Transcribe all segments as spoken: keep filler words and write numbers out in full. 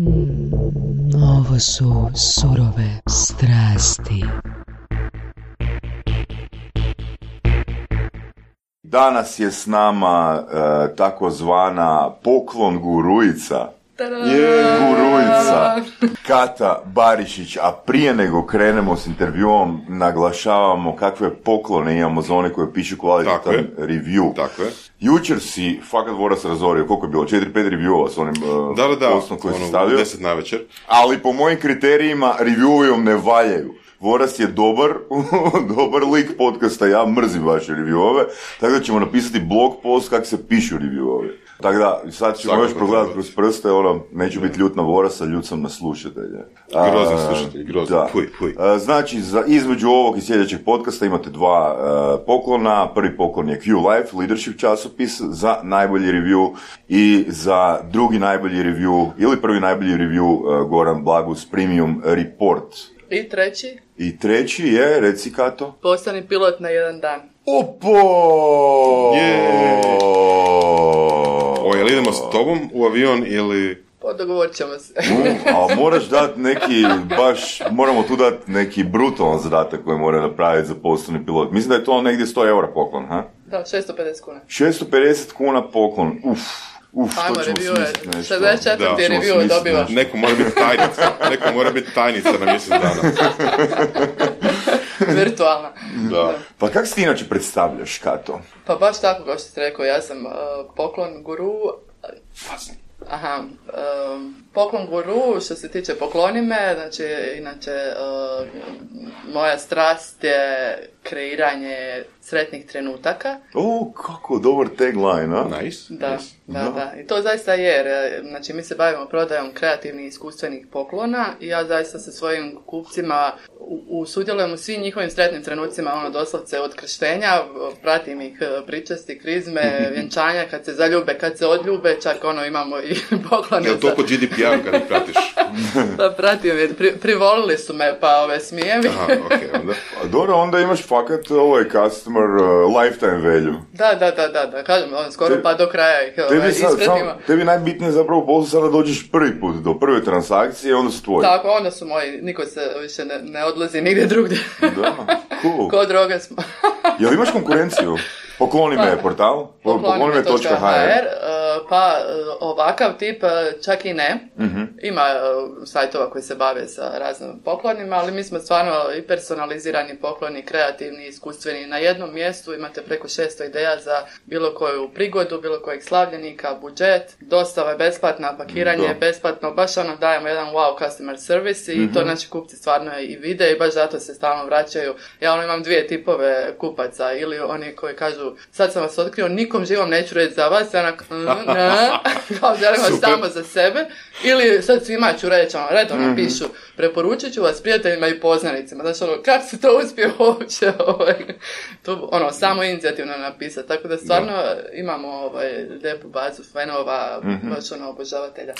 Mm, ovo su surove strasti. Danas je s nama e, takozvana poklon gurujica. Je gurujica Kata Barišić, a prije nego krenemo s intervjuom naglašavamo kakve poklone imamo za one koje pišu kvalitetan review. Tako je. Jučer si fakat Voras razorio, koliko je bilo, četiri pet reviewova s onim uh, da, da, da, postom koji si stavio. deset na večer. Ali po mojim kriterijima reviewom ne valjaju. Voras je dobar, dobar lik podcasta, ja mrzim vaše reviewove, tako da ćemo napisati blog post kako se pišu reviewove. Tako da, sad ćemo još progledati kroz prste, ono, neću biti ljut na Vorasa, ljut sam na slušatelje. Grozan slušatelj, grozan, puj, puj. Znači, za, između ovog i sljedećeg podcasta imate dva uh, poklona. Prvi poklon je Q Life, leadership časopis, za najbolji review, i za drugi najbolji review, ili prvi najbolji review, uh, Goran Blagus Premium Report. I treći? I treći je, reci Kato? Postani pilot na jedan dan. Opo! Yeah. O, jel idemo s tobom u avion ili... Pa dogovorit ćemo se. A moraš dati neki, baš, moramo tu dati neki brutalan zadatak koji mora napraviti za postani pilot. Mislim da je to negdje sto eura poklon, ha? Da, šesto pedeset kuna. šesto pedeset kuna poklon, uf. Uf, ajmo, to ćemo smisliti nešto. šezdeset četiri review dobivaš. Neko mora biti tajnica, neko mora biti tajnica na mjesec dana. Virtualna. Da. Da. Pa kako si ti inače predstavljaš, Kato? Pa baš tako kao što ste rekao, ja sam uh, poklon guru. Aha, um, poklon guru, što se tiče pokloni me, znači, inače, uh, moja strast je kreiranje sretnih trenutaka. O, kako dobar tagline, a? Nice. Da, nice. da, da, da. I to zaista je, znači, mi se bavimo prodajom kreativnih i iskustvenih poklona i ja zaista sa svojim kupcima u, u sudjelujem u svim njihovim sretnim trenucima, ono, doslovce od krštenja, pratim ih pričasti, krizme, vjenčanja, kad se zaljube, kad se odljube, čak ono, imamo i poklone. Je li to po G D P R kad ih pratiš? Pa pratim je, pri, privolili su me, pa ove smijevi. Aha, okej, okay, onda. A dobro, onda imaš fakat ovaj customer uh, lifetime value. Da, da, da, da, da, kažem, on skoro Te, pa do kraja ih ovaj, ispratimo. Tebi najbitnije zapravo poslu sada dođeš prvi put do prve transakcije, onda su tvoji. Tako, onda su moji, niko se više ne, ne odlazi nigdje drugdje. Da, cool. Ko droge smo. Jel imaš konkurenciju? Pokloni me pa, portal, pokloni me točka h r. Pa ovakav tip čak i ne. Mm-hmm. Ima sajtova koji se bave sa raznim poklonima, ali mi smo stvarno i personalizirani pokloni, kreativni, iskustveni. Na jednom mjestu imate preko šesto ideja za bilo koju prigodu, bilo kojeg slavljenika, budžet, dostava je besplatna, pakiranje je besplatno, baš ono dajemo jedan wow customer service i mm-hmm. to naši kupci stvarno i vide i baš zato se stalno vraćaju. Ja ono imam dvije tipove kupaca, ili oni koji kažu sad sam vas otkrio, nikom živom neću reći za vas, ja onak, ne, kao želim vas samo za sebe, ili sad svima ću reći, ono, redovno mm-hmm. pišu, preporučit ću vas prijateljima i poznanicima, znači ono, kako se to uspije uopće, ovaj, to, ono, samo inicijativno napisati, tako da stvarno da. imamo, ovaj, lijepu bazu fanova, mm-hmm. baš ono, obožavatelja,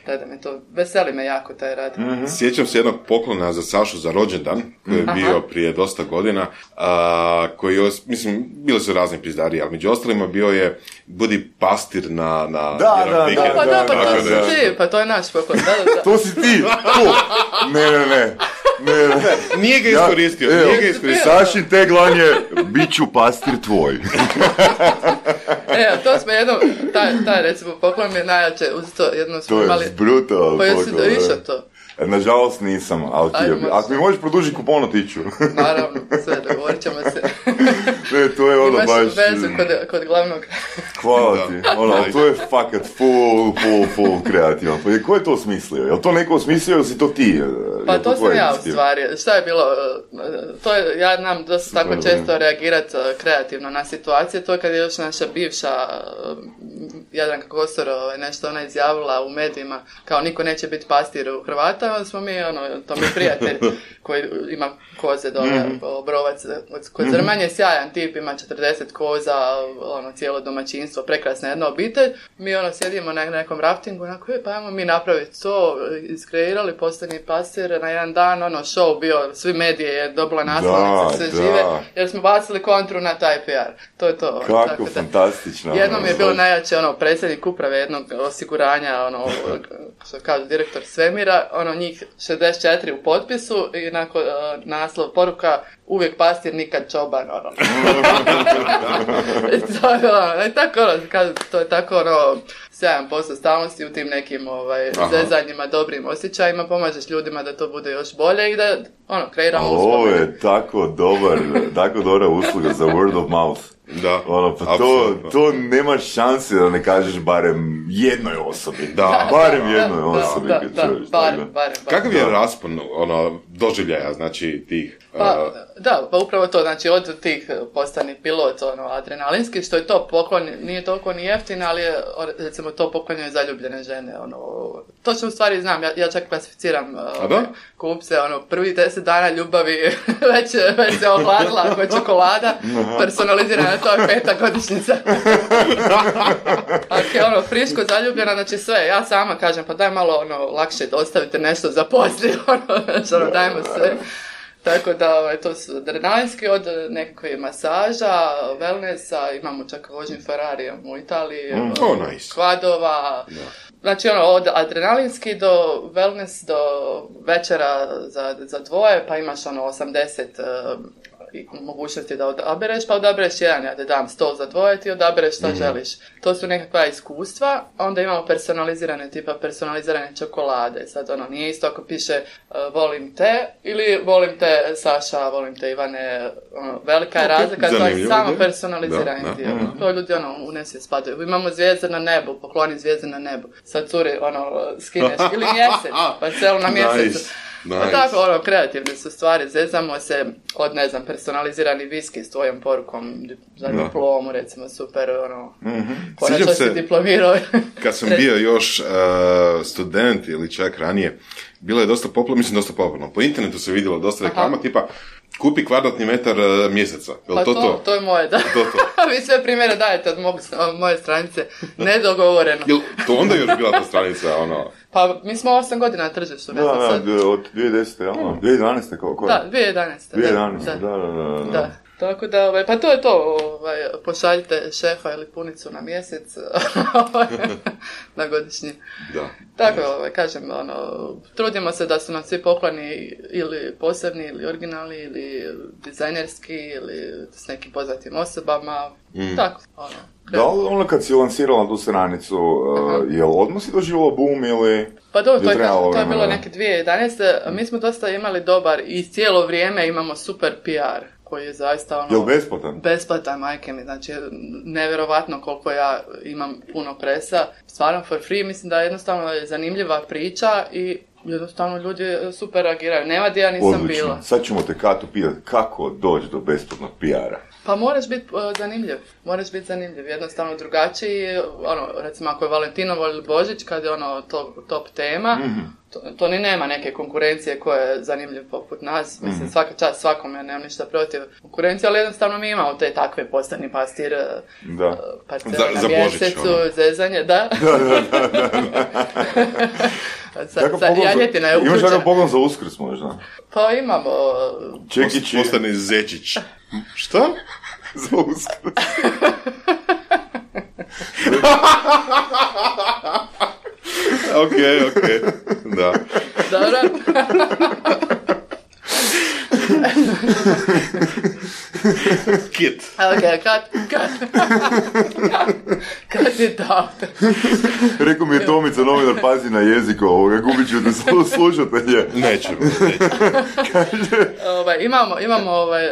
da da me to, veseli me jako taj rad. Mm-hmm. Sjećam se jednog poklona za Sašu za rođendan, koji je bio Aha. prije dosta godina, a, koji je, mislim, bili su razni pizdariji, ali među ostalima bio je budi pastir na, na da, jedan da, vikend. Da, pa da, pa to da, si da. ti, pa to je naš poklon, da, da, da. To si ti, to. Ne, ne, ne. Ne, ne. Nije ga iskoristio, ja, nije ga iskoristio. Sašin tagline je, bit ću pastir tvoj. E, to smo jednom, taj, taj recimo poklon mi je najjače, uz to jedno smo to imali... To je brutal. Pa jesi da išao to? Nažalost nisam, ali ti je... Ako mi možeš produžiti kupon, otiću. Naravno, sve, dogovorit ćemo se. Ne, to je ono imaš baš... Imaš vezu kod, kod glavnog... Hvala ti. Ono, to je fakat full, full, full kreativan. Pa ko je to smislio? Je li to neko smislio ili si to ti? Pa to sam ja u stvari. Šta je bilo? To je, ja znam dosta tako često reagirati kreativno na situacije. To je kad je još naša bivša Jadranka Kosor nešto ona izjavila u medijima kao niko neće biti pastir u Hrvata, onda smo mi, ono, to mi je prijatelj koji ima koze dole, mm-hmm. Obrovac kod Zrmanje, sjajan tip, ima četrdeset koza, ono, cijelo domaćinstvo, prekrasna jedna obitelj. Mi ono sjedimo na nekom raftingu, onako, pa ajmo mi napraviti to, iskreirali, postani pastir, na jedan dan, ono, show bio, svi medije je dobila naslovnice, sve da. žive, jer smo bacili kontru na taj P R. To je to. Kako tako fantastično. Jednom je bilo najjače, ono, predsjednik uprave jednog osiguranja, ono, što kaže direktor svemira, ono njih šezdeset četiri u potpisu i nakon uh, naslov poruka uvijek pastir, nikad čoban, ono. I to je ono, i tako ono, kaže, to je tako ono, sedam posto stalnosti u tim nekim ovaj, zezanjima, dobrim osjećajima, pomažeš ljudima da to bude još bolje i da, ono, kreiramo uspomene. Ovo je tako dobar, tako dobra usluga za word of mouth. Da, ono, pa to, to nema šanse da ne kažeš barem jednoj osobi. Da. Barem da, jednoj da, osobi. Da, kad da, čuješ, barem, tako. barem, barem. Kakav je raspon ono, doživljaja, znači, tih... Pa, uh, da, pa upravo to, znači od tih postani pilot, ono, adrenalinski, što je to poklon, nije toliko ni jeftin, ali je, recimo, to poklonjuje zaljubljene žene, ono, točno u stvari znam, ja, ja čak klasificiram uh, kupce, ono, prvi deset dana ljubavi već, već se ohladila, ako je čokolada, personalizirana, to je peta godišnjica. Ako je, ono, friško zaljubljena, znači sve, ja sama kažem, pa daj malo, ono, lakše ostavite nešto za poslije, ono, znači, ono, dajmo sve. Tako da, ovaj, to su adrenalinski od nekakve masaža, wellnessa, imamo čak vožnju Ferrarijem u Italiji, mm, oh, nice. kvadova, yeah. Znači ono, od adrenalinski do wellness, do večera za, za dvoje, pa imaš ono osamdeset uh, mogućnosti da odabereš, pa odabereš jedan, ja te dam stol za dvoje, ti odabereš što mm-hmm. želiš. To su nekakva iskustva, onda imamo personalizirane, tipa personalizirane čokolade. Sad ono, nije isto ako piše uh, volim te, ili volim te Saša, volim te Ivane, ono, velika je razlika, to je samo personalizirani dio. Mm-hmm. To ljudi ono, u nesvijest spadaju. Imamo zvijezde na nebu, pokloni zvijezde na nebu. Sad curi, ono, skineš, ili mjesec, pa celo na mjesecu. Nice. Nice. Pa tako, ono, kreativne su stvari, zezamo se od, ne znam, personalizirani viski s tvojom porukom za diplomu, recimo, super, ono, mm-hmm. konačno si diplomirao. Kad sam bio još uh, student ili čak ranije, bilo je dosta popularno, mislim dosta popularno, po internetu se vidjelo dosta reklama, Aha. tipa, kupi kvadratni metar uh, mjeseca. Jel pa to, to, to? to je moje, da. To, to. Vi sve primjere dajete od, mog, od moje stranice, nedogovoreno. Jel to onda još bila ta stranica, ono... Pa mi smo osam godina na tržištu. Da, da, sad. od dvije tisuće desete, ja, mm. dvije tisuće jedanaeste kao koja? Da, dvije tisuće jedanaeste. dvije tisuće jedanaeste, da, da, da. da. da. Tako da, ovaj, pa to je to, ovaj, pošaljite šefa ili punicu na mjesec na godišnji. Da. Tako, ovaj, kažem, ono, trudimo se da su nam svi pokloni ili posebni, ili originalni, ili dizajnerski, ili s nekim poznatim osobama, mm. tako, ono. Da li ono kad si lansirala tu stranicu, uh, je li odmah si doživjela boom ili... Pa dobro, to, to je bilo neke dvije tisuće jedanaeste. Mi smo dosta imali dobar i cijelo vrijeme imamo super P R koji je zaista ono... Jel besplatan? Besplatan, majke mi. Znači, nevjerovatno koliko ja imam puno presa. Stvarno for free, mislim da jednostavno je zanimljiva priča i jednostavno ljudi super reagiraju. Nema gdje ja nisam Odlično. bila. Sad ćemo te Katu pitati kako doći do besplatnog P R-a. Pa moraš biti uh, zanimljiv, moraš biti zanimljiv, jednostavno drugačiji, ono, recimo ako je Valentinovo ili Božić, kad je ono top, top tema, mm-hmm. to, to ni nema neke konkurencije koja je zanimljiv poput nas, mislim, mm-hmm. svaka čast svakome, nemam ništa protiv konkurencije, ali jednostavno mi imamo te takve postani pastir, uh, parcele na mjesecu, ono. Zezanje, da. Da, da, da, da. Sa, sa janjetina je uključena. Imaš takav pogled za Uskrs možda? Pa imamo... Čekić postane Zečić. Šta? Za Uskrs. Ok, ok. Da. Dobro. Kit. Ok, kat, kat. Kat je to. Rekao mi je Tomica, novinar, pazi na jeziku ovoga, gubit ću te slušatelje. Nećemo, nećemo. Ovaj, imamo, imamo ovaj,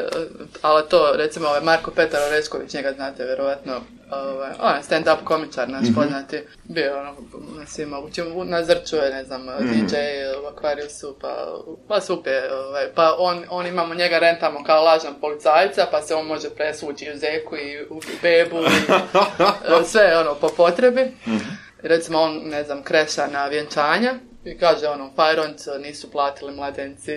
ali to, recimo, ovaj Marko Petar Orešković, njega znate, vjerovatno, ovaj, on je stand-up komičar, naš mm-hmm. poznati, bio ono, na svima, na Zrču je, ne znam, mm-hmm. D J u Aquariusu, pa, pa super, ovaj, pa on, on imamo, njega rentamo kao lažan policajca, pa se on može presvući u zeku i u bebu i sve, ono, po potrebi. Mm-hmm. Recimo, on, ne znam, kreša na vjenčanja, i kaže ono, Fajronc nisu platili mladenci.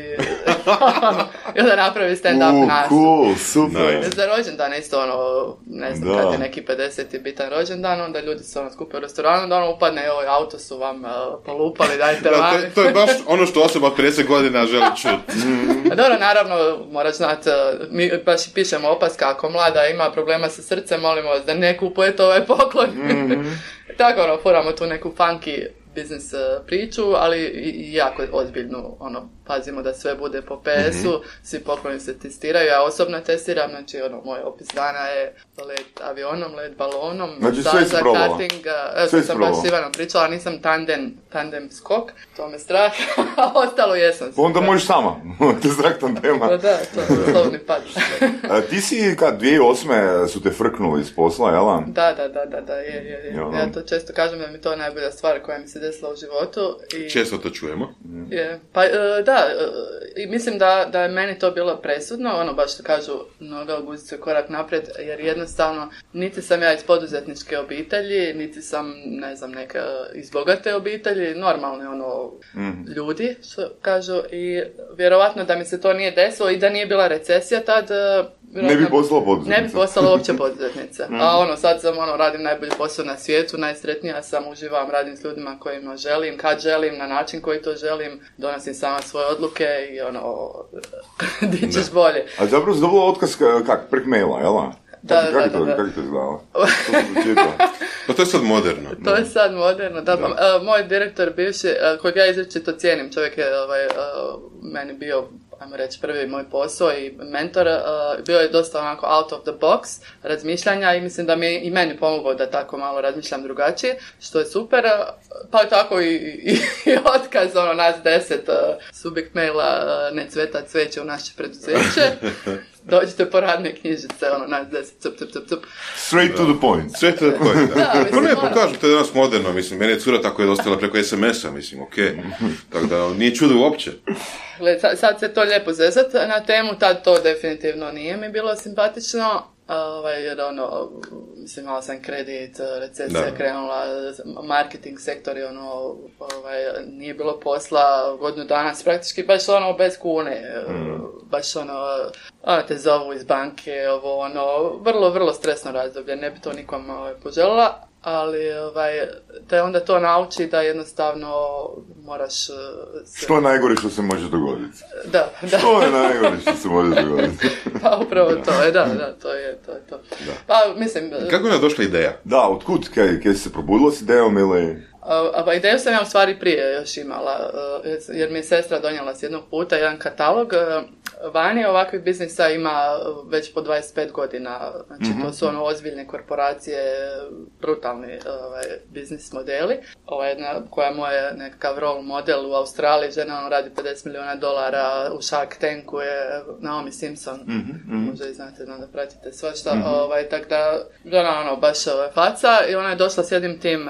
I onda napravi stand-up uh, nas. Cool, super. Nice. Za rođendan isto ono, ne znam, da. Kad je neki pedeseti bitan rođendan, onda ljudi se ono skupe u restoranu, onda ono upadne, joj, auto su vam uh, polupali, dajte da, vam. To, to je baš ono što osoba od pedeset godina želi čuti. Dobro, naravno, moraš znati, mi baš pišemo opaska, ako mlada ima problema sa srcem, molimo vas da ne kupujete ovaj poklon. Mm-hmm. Tako ono, furamo tu neku funky biznis priču, ali i jako ozbiljnu, ono, pazimo da sve bude po P S-u, mm-hmm. svi pokloni se testiraju, ja osobno testiram, znači, ono, moj opis dana je let avionom, let balonom, znači, sve si probala. Karting, evo, sve sam baš s Ivanom pričala, nisam tandem, tandem skok, to me strah, a ostalo jesam. Onda možeš sama, te strah tandema. Pa da, to je slovni pad. A, ti si, kad dvije tisuće osme su te frknuli iz posla, jel? Da, da, da, da, da, je, je, je. Ja to često kažem da mi to najbolja stvar koja mi se desila u životu. I... Često to čujemo. Je. Pa, da, i mislim da, da je meni to bilo presudno, ono baš što kažu, noga u guzicu je korak naprijed, jer jednostavno niti sam ja iz poduzetničke obitelji, niti sam, ne znam, neka iz bogate obitelji, normalni ono mm. ljudi, što kažu, i vjerovatno da mi se to nije desilo i da nije bila recesija tad, ne bi postala poduzetnica. Ne bi postala uopće poduzetnica. mm. A ono, sad sam, ono, radim najbolji posao na svijetu, najsretnija sam, uživam, radim s ljudima kojima želim, kad želim, na način koji to želim, donosim sama svoje odluke i ono, di ćeš bolje. A zapravo si dobila otkaz kak, prek maila, jel? Da, kako, da, kako da, da. Kako je to izgledalo? Pa to je sad moderno. To je sad moderno, da. da. Uh, moj direktor bivši, uh, kojeg ja izričito cijenim, čovjek je ovaj, uh, meni bio, ajmo reći, prvi moj posao i mentor, uh, bio je dosta onako out of the box razmišljanja i mislim da mi je i meni pomogao da tako malo razmišljam drugačije, što je super. Pa tako i, i, i otkaz, ono, nas deset, uh, subjekt maila, uh, ne cveta cveće u naše preduzeće. Dođite po radne knjižice, ono, nas deset, cup, cup, cup, cup. Straight to the point. Straight to the point, da. da mislim, pa ne, pokažem, to je danas moderno, mislim, meni je cura tako je dostala preko es em es-a, mislim, okej. Okay. Tako da, nije čudo uopće. Sad, sad se to lijepo zezat na temu, tad to definitivno nije mi bilo simpatično, ovaj, jer ono, mislim, imala sam kredit, recesija da. Krenula, marketing sektor je ono, ovaj, nije bilo posla, godinu dana, praktički baš ono bez kune, mm. baš ono, ono, te zovu iz banke, ovo ono, vrlo, vrlo stresno razdoblje, ne bi to nikom ovaj, poželjela. Ali ovaj, te onda to nauči da jednostavno moraš... Se... Što je najgore što se može dogoditi? Da, da. Što je najgore što se može dogoditi? Pa upravo to je, da, da, to je to. Je to. Da. Pa, mislim... Kako je došla ideja? Da, otkud, kaj, kaj si se probudila s idejom ili... A, a ideju sam ja u stvari prije još imala, jer mi je sestra donijela s jednog puta jedan katalog. Vani ovakvih biznisa ima već po dvadeset pet godina, znači mm-hmm. to su ono ozbiljne korporacije, brutalni ovaj, biznis modeli. Ova jedna koja je moj nekakav role model u Australiji, žena ono radi pedeset milijuna dolara, u Shark Tanku je Naomi Simpson, mm-hmm. možda i znate, znam da pratite svašta, mm-hmm. ovaj, tako da žena ono baš ovaj, faca i ona je došla s jednim tim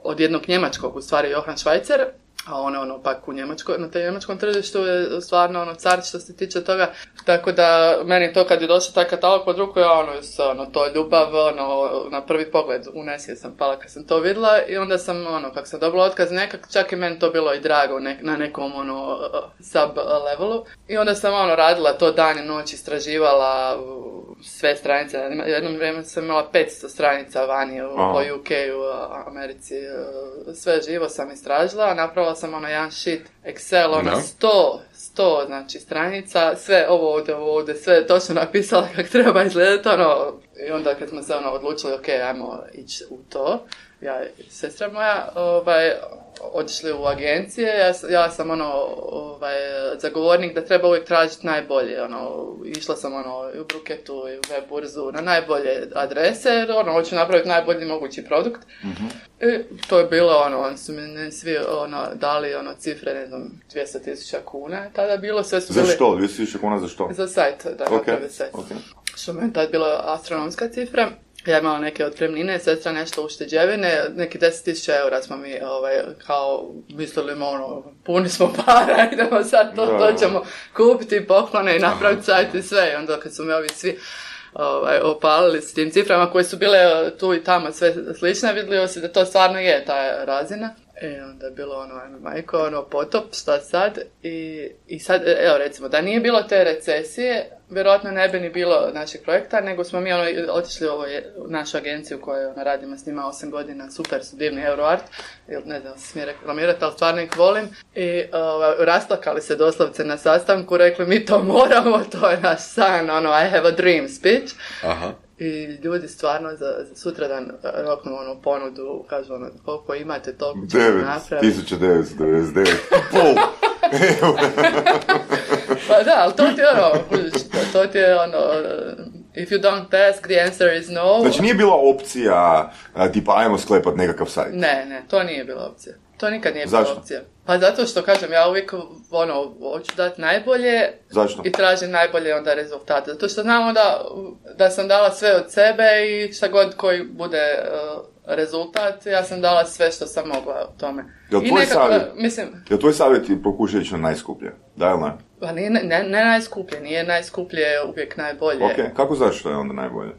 od jednog njemačkog, u stvari Johan Schweizer, a ono, ono, pak u Njemačko, na tej njemačkom tržištu je stvarno ono car što se tiče toga, tako da meni to kad je došao taj katalog pod ruku, ja ono, ono, to je ljubav, ono, na prvi pogled u nesvijest sam pala kad sam to vidjela i onda sam, ono, kako sam dobila otkaz nekak, čak i meni to bilo i drago nek, na nekom, ono, sub levelu i onda sam, ono, radila to dan i noć, istraživala sve stranice, jednom vrijeme sam imala petsto stranica vani u, u U K-u, u Americi, sve živo sam istražila, napravila sam ono jedan sheet Excel, ono sto, sto znači stranica, sve ovo ovdje, ovo ovdje, sve točno napisala kako treba izgledati, ono, i onda kad smo se ono odlučili, ok, ajmo ići u to, ja i sestra moja, ovaj, otišli u agencije, ja, ja sam ono, ovaj, zagovornik da treba uvijek tražiti najbolje, ono, išla sam ono, i u Bruketu i u web burzu na najbolje adrese, jer ono, hoću napraviti najbolji mogući produkt. Mm-hmm. I to je bilo ono, oni su mi svi ono, dali ono, cifre, ne znam, dvjesto tisuća kuna, tada bilo sve su bili... Za što? dvjesto tisuća kuna za što? Za sajt, da okay. napravi sajt. Okay. Što mi je tad bila astronomska cifra. Ja imala neke otpremnine, sestra nešto ušteđevine, neki deset tisuća eura smo mi ovaj, kao mislili, ono, puni smo para, idemo sad to, to ćemo kupiti poklone i napraviti sajt i sve. I onda kad su me ovi svi ovaj, opalili s tim ciframa koje su bile tu i tamo sve slične, vidjelo se da to stvarno je ta razina. I onda je bilo ono, ajme majko, ono, potop, šta sad? I, i sad, evo recimo, da nije bilo te recesije, vjerojatno ne bi ni bilo našeg projekta, nego smo mi ono, otišli u, ovo, u našu agenciju koju ono, radimo s njima osam godina, super su divni Euroart, ili ne znam, smije reklamirati, ali stvarno ih volim. I ovaj, rasplakali se doslovce na sastanku, rekli mi to moramo, to je naš san, ono, I have a dream speech. Aha. i ljudi stvarno za, za sutradan roknu ono ponudu, kažu ono, koliko imate, toliko ćemo napraviti. devet tisuća devetsto devedeset devet Pol. Pa da, ali to ti je ono, to ti je ono, if you don't ask, the answer is no. Znači nije bila opcija, tipa ajmo sklepat nekakav sajt? Ne, ne, to nije bila opcija. To nikad nije Zašto? bila opcija. Pa zato što, kažem, ja uvijek ono, hoću dati najbolje. Zašto? I tražim najbolje onda rezultate. Zato što znam onda da sam dala sve od sebe i šta god koji bude uh, rezultat, ja sam dala sve što sam mogla u tome. Jel tvoj, nekako, savjet, mislim, jel tvoj savjet ti pokušaj ići na najskuplje? Da ili ne? Pa nije, ne, ne najskuplje, nije najskuplje uvijek najbolje. Ok, kako znaš što je onda najbolje?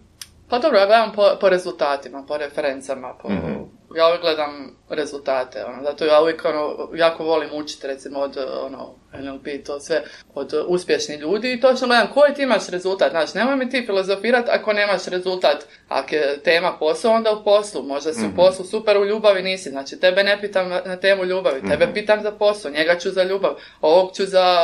Pa dobro, ja gledam po, po rezultatima, po referencama, po, mm-hmm. ja uvijek gledam rezultate, ono, zato ja uvijek ono, jako volim učiti recimo od ono, N L P, to sve, od uspješnih ljudi i točno gledam koji ti imaš rezultat, znači nemoj mi ti filozofirati ako nemaš rezultat, ako je tema posao, onda u poslu, možda si mm-hmm. u poslu super, u ljubavi nisi, znači tebe ne pitam na temu ljubavi, tebe mm-hmm. pitam za posao, njega ću za ljubav, ovog ću za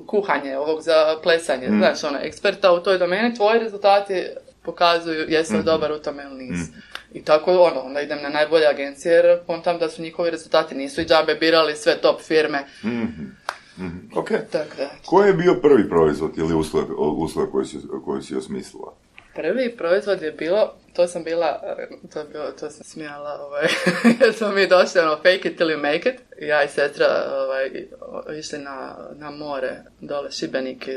kuhanje, ovog za plesanje, mm-hmm. znači ono, eksperta u toj domeni, tvoji rezultati pokazuju jesi li mm-hmm. dobar u tome ili nisi. Mm-hmm. I tako ono, onda idem na najbolje agencije jer kontam da su njihovi rezultati, nisu i džabe birali sve top firme. Mm-hmm. Mm-hmm. Ok. Tak, da. Koji je bio prvi proizvod ili usluga, usluga koju si, koju si osmislila? Prvi proizvod je bilo, to sam bila, to, je bilo, to sam smijala, ovaj, jer smo mi došli, ono, fake it till you make it. Ja i sestra ovaj, išli na, na more, dole Šibenik,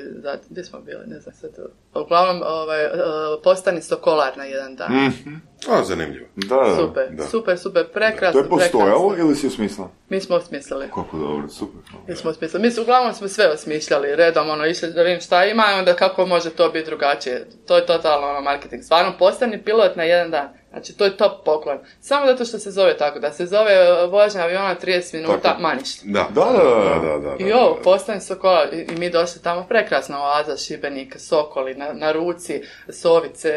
gdje smo bili, ne znam sad. Uglavnom, ovaj, postani sokolar na jedan dan. Mm-hmm. A, zanimljivo. Da, da, super, da. super, super, prekrasno. To je postojalo prekrasno. ili si osmislila? Mi smo osmislili. Kako dobro, super. Mi smo osmislili. Mi su, uglavnom smo sve osmišljali, redom, ono, išli da vidim šta ima i onda kako može to biti drugačije. To je totalno ono, marketing. Stvarno, postani pilot na jedan dan. Znači, to je top poklon. Samo zato što se zove tako, da se zove vožnja aviona trideset minuta, tako. ma ništa. Da, da, da, da, da, da, da. I ovo, postani Sokola, i, i mi došli tamo, prekrasna oaza, Šibenik, Sokoli, na, na ruci, Sovice,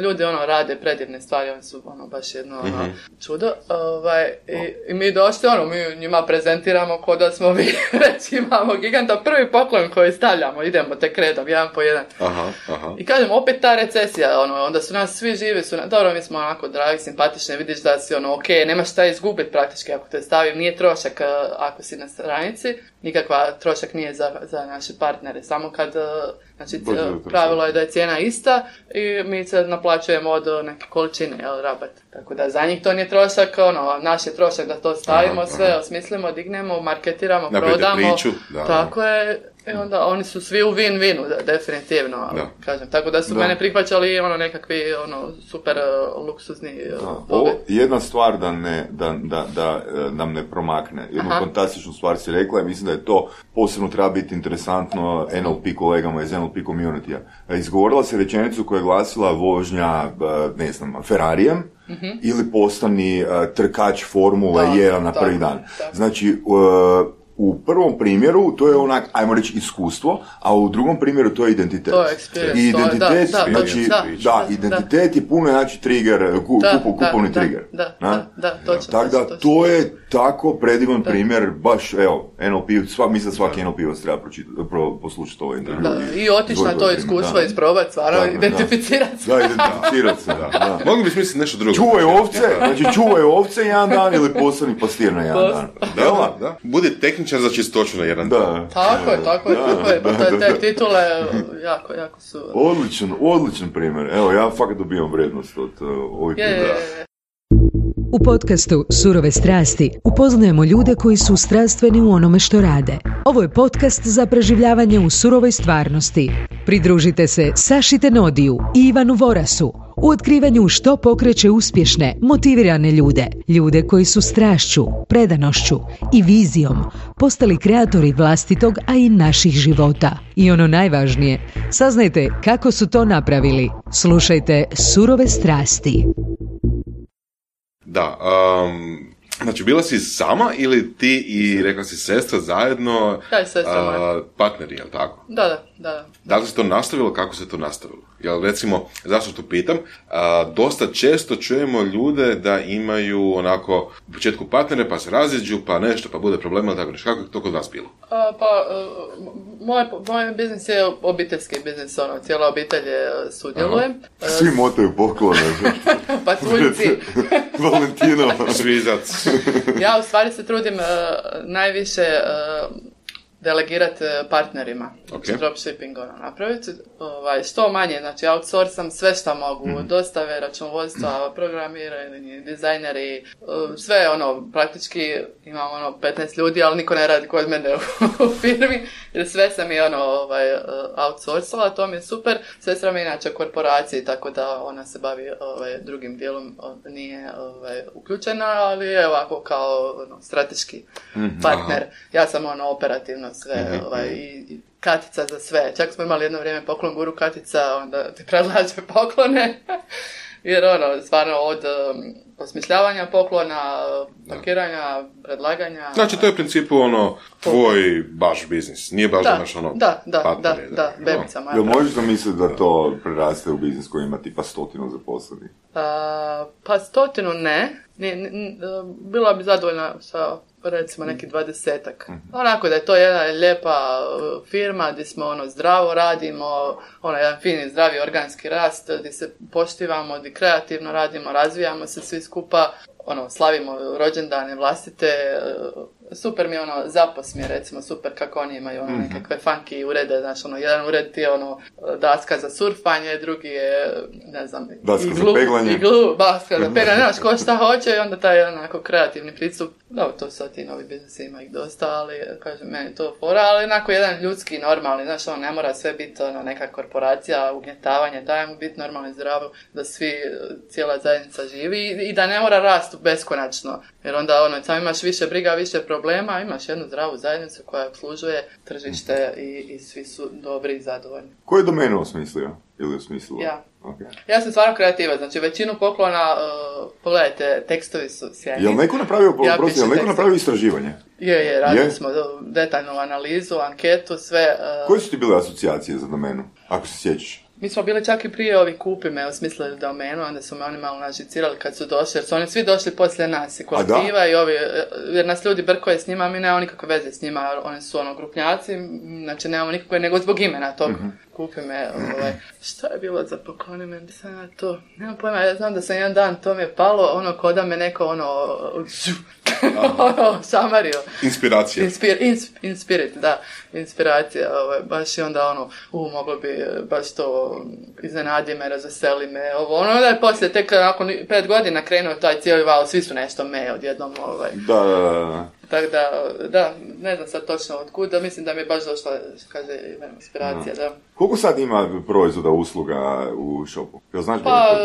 ljudi ono rade predivne stvari, oni su ono baš jedno ono, mm-hmm. čudo. Ovaj, i, I mi došli, ono, mi njima prezentiramo ko da smo mi, reći imamo giganta, prvi poklon koji stavljamo, idemo tek redom, jedan po jedan. Aha, aha. I kažem, opet ta recesija, ono, onda su nas svi živi, su na, dobro, mi smo onako dragi, simpatični, vidiš da si ono, ok, nemaš šta izgubiti praktički ako te stavim, nije trošak ako si na stranici, nikakva trošak nije za, za naše partnere, samo kad, znači, pravilo je da je cijena ista i mi se naplaćujemo od neke količine, jel, rabat. Tako da za njih to nije trošak, ono, naš je trošak da to stavimo, aha, sve aha. osmislimo, dignemo, marketiramo, napravite prodamo. Priču, da, tako da. je. I onda oni su svi u win-winu, da, definitivno, da. kažem. Tako da su da. mene prihvaćali ono nekakvi ono, super uh, luksuzni uh, Ovo, jedna stvar da, ne, da, da, da nam ne promakne. Jednu Aha. fantastičnu stvar si rekla i mislim da je to posebno treba biti interesantno N L P kolegama iz N L P community-a. Izgovorila se rečenicu koja je glasila vožnja, ne znam, Ferrarijem, mm-hmm. ili postani uh, trkač Formule jedan na prvi dan. Da. Znači, uh, u prvom primjeru to je onak, ajmo reći, iskustvo, a u drugom primjeru to je identitet. To je experience. I identitet, da, znači, da, da, identitet da. je puno, znači, trigger, ku, da, kupo, kupovni da, trigger. Da, da, da, da, točno. Tako da, to, to je tako predivan da. primjer, baš, evo, N L P, svak, mislim da svaki N L P-ovac treba pro, poslušati ovo intervju. Da, i otići na to iskustvo, isprobati, stvarno, identificirati se. Da, identificirati se, da. da. Mogli bi smisliti nešto drugo. Čuvaj ovce, znači čuvaj ovce jedan dan ili postani pastir na jedan dan. Da, da. Budi tehničar za čistoću na jedan dan. Tako je, tako je, tako je. Te, te titule jako, jako su... Odličan, odličan primjer. Evo, ja fakat dobijam vrednost od uh, ovih primjera. U podcastu Surove strasti upoznajemo ljude koji su strastveni u onome što rade. Ovo je podcast za preživljavanje u surovoj stvarnosti. Pridružite se Saši Tenodiju i Ivanu Vorasu u otkrivanju što pokreće uspješne, motivirane ljude. Ljude koji su strašću, predanošću i vizijom postali kreatori vlastitog, a i naših života. I ono najvažnije, saznajte kako su to napravili. Slušajte Surove strasti. Da, um, znači bila si sama ili ti i rekla si sestra zajedno Kaj sestra moja? Uh, partneri, jel tako? Da, da. da. Da li se to nastavilo, kako se to nastavilo? Jel, recimo, zašto to pitam, a, dosta često čujemo ljude da imaju onako u početku partnere, pa se raziđu, pa nešto, pa bude problema, tako nešto. Kako je to kod vas bilo? A, pa, moj, moj biznis je obiteljski biznis, ono, cijela obitelj je sudjeluje. Aha. Svi motaju poklone. Pa tuljci. Valentino. Svizac. Ja u stvari se trudim uh, najviše uh, delegirati partnerima, znači okay. dropshipping ono, napraviti, ovaj, što manje, znači outsourcam sve što mogu, mm. dostave, računovodstva, programiranje, dizajneri, sve ono, praktički imam ono petnaest ljudi, ali niko ne radi kod mene u, u firmi, jer sve sam i ono ovaj, outsourcala, to mi je super, sestra mi je inače korporaciji, tako da ona se bavi ovaj, drugim dijelom, nije ovaj, uključena, ali je ovako kao ono, strateški mm-hmm. partner, ja sam ono operativno sve, mm-hmm. ovaj, i Katica za sve. Čak smo imali jedno vrijeme poklon guru Katica, onda ti predlaže poklone. Jer ono, stvarno od um, osmišljavanja poklona, pakiranja, predlaganja... Znači, to je u principu ono, tvoj baš biznis. Nije baš da imaš ono... Da, da, partneri, da, da, da, bebica moja. Jel možeš zamisliti da to preraste u biznis koji ima tipa stotinu zaposlenih? Uh, pa stotinu ne. Ni, ni, bila bi zadovoljna sa recimo neki dvadesetak. Mm-hmm. Onako da je to jedna lijepa firma gdje smo ono zdravo radimo, ono jedan fini zdravi organski rast, gdje se poštivamo, gdje kreativno radimo, razvijamo se svi skupa, ono slavimo rođendane vlastite, super mi je ono, zapos mi je recimo super kako oni imaju ono nekakve funky urede, znaš ono, jedan ured ti je ono daska za surfanje, drugi je, ne znam, daska iglu, za peglanje. Iglu, daska za peglanje, znaš ko šta hoće i onda taj onako kreativni pristup, dobro, to sad ti novi biznisi ima ih dosta, ali kažem, meni to fora, ali onako jedan ljudski, normalni, znaš ono, ne mora sve biti ono, neka korporacija, ugnjetavanje, daj mu biti normalno i zdravo, da svi, cijela zajednica živi i, i da ne mora rasti beskonačno, jer onda ono, sam imaš više briga, više problema, imaš jednu zdravu zajednicu koja obslužuje tržište i, i svi su dobri i zadovoljni. Koju domenu osmislio? Ili osmislilo? Ja. Okay. Ja sam stvarno kreativa, znači većinu poklona, uh, pogledajte, tekstovi su sjajni. Jel neko napravio, ja prosti, jel neko napravio istraživanje? Je, je, radili je? smo detaljnu analizu, anketu, sve. Uh... Koje su ti bile asocijacije za domenu, ako se sjećaš? Mi smo bili čak i prije ovi kupi me osmislili domenu, onda su me oni malo nažicirali kad su došli, jer su oni svi došli poslije nas, i kolektiva i ovi, jer nas ljudi brkoje s njima, mi nemamo nikakve veze s njima, oni su ono grupnjaci, znači nemamo nikakve, nego zbog imena tog mm-hmm. kupi me, ovaj, šta je bilo za pokloni me, sam ja to, nemam pojma, ja znam da sam jedan dan, to mi je palo, ono, ko da me neko, ono, ono, šamario. Inspiracija. Inspir, ins, inspirit, da, inspiracija, ovaj, baš i onda, ono, u, moglo bi baš to iznenadi me, razveseli me, ovo, ono, da je poslije, tek nakon pet godina krenuo taj cijeli val, svi su nešto me odjednom, ovaj. Da, da, da. Tako da, da, ne znam sad točno od kuda, mislim da mi je baš došla, kaže, inspiracija, da. da. Koliko sad ima proizvoda, usluga u shopu? Jel znaš pa,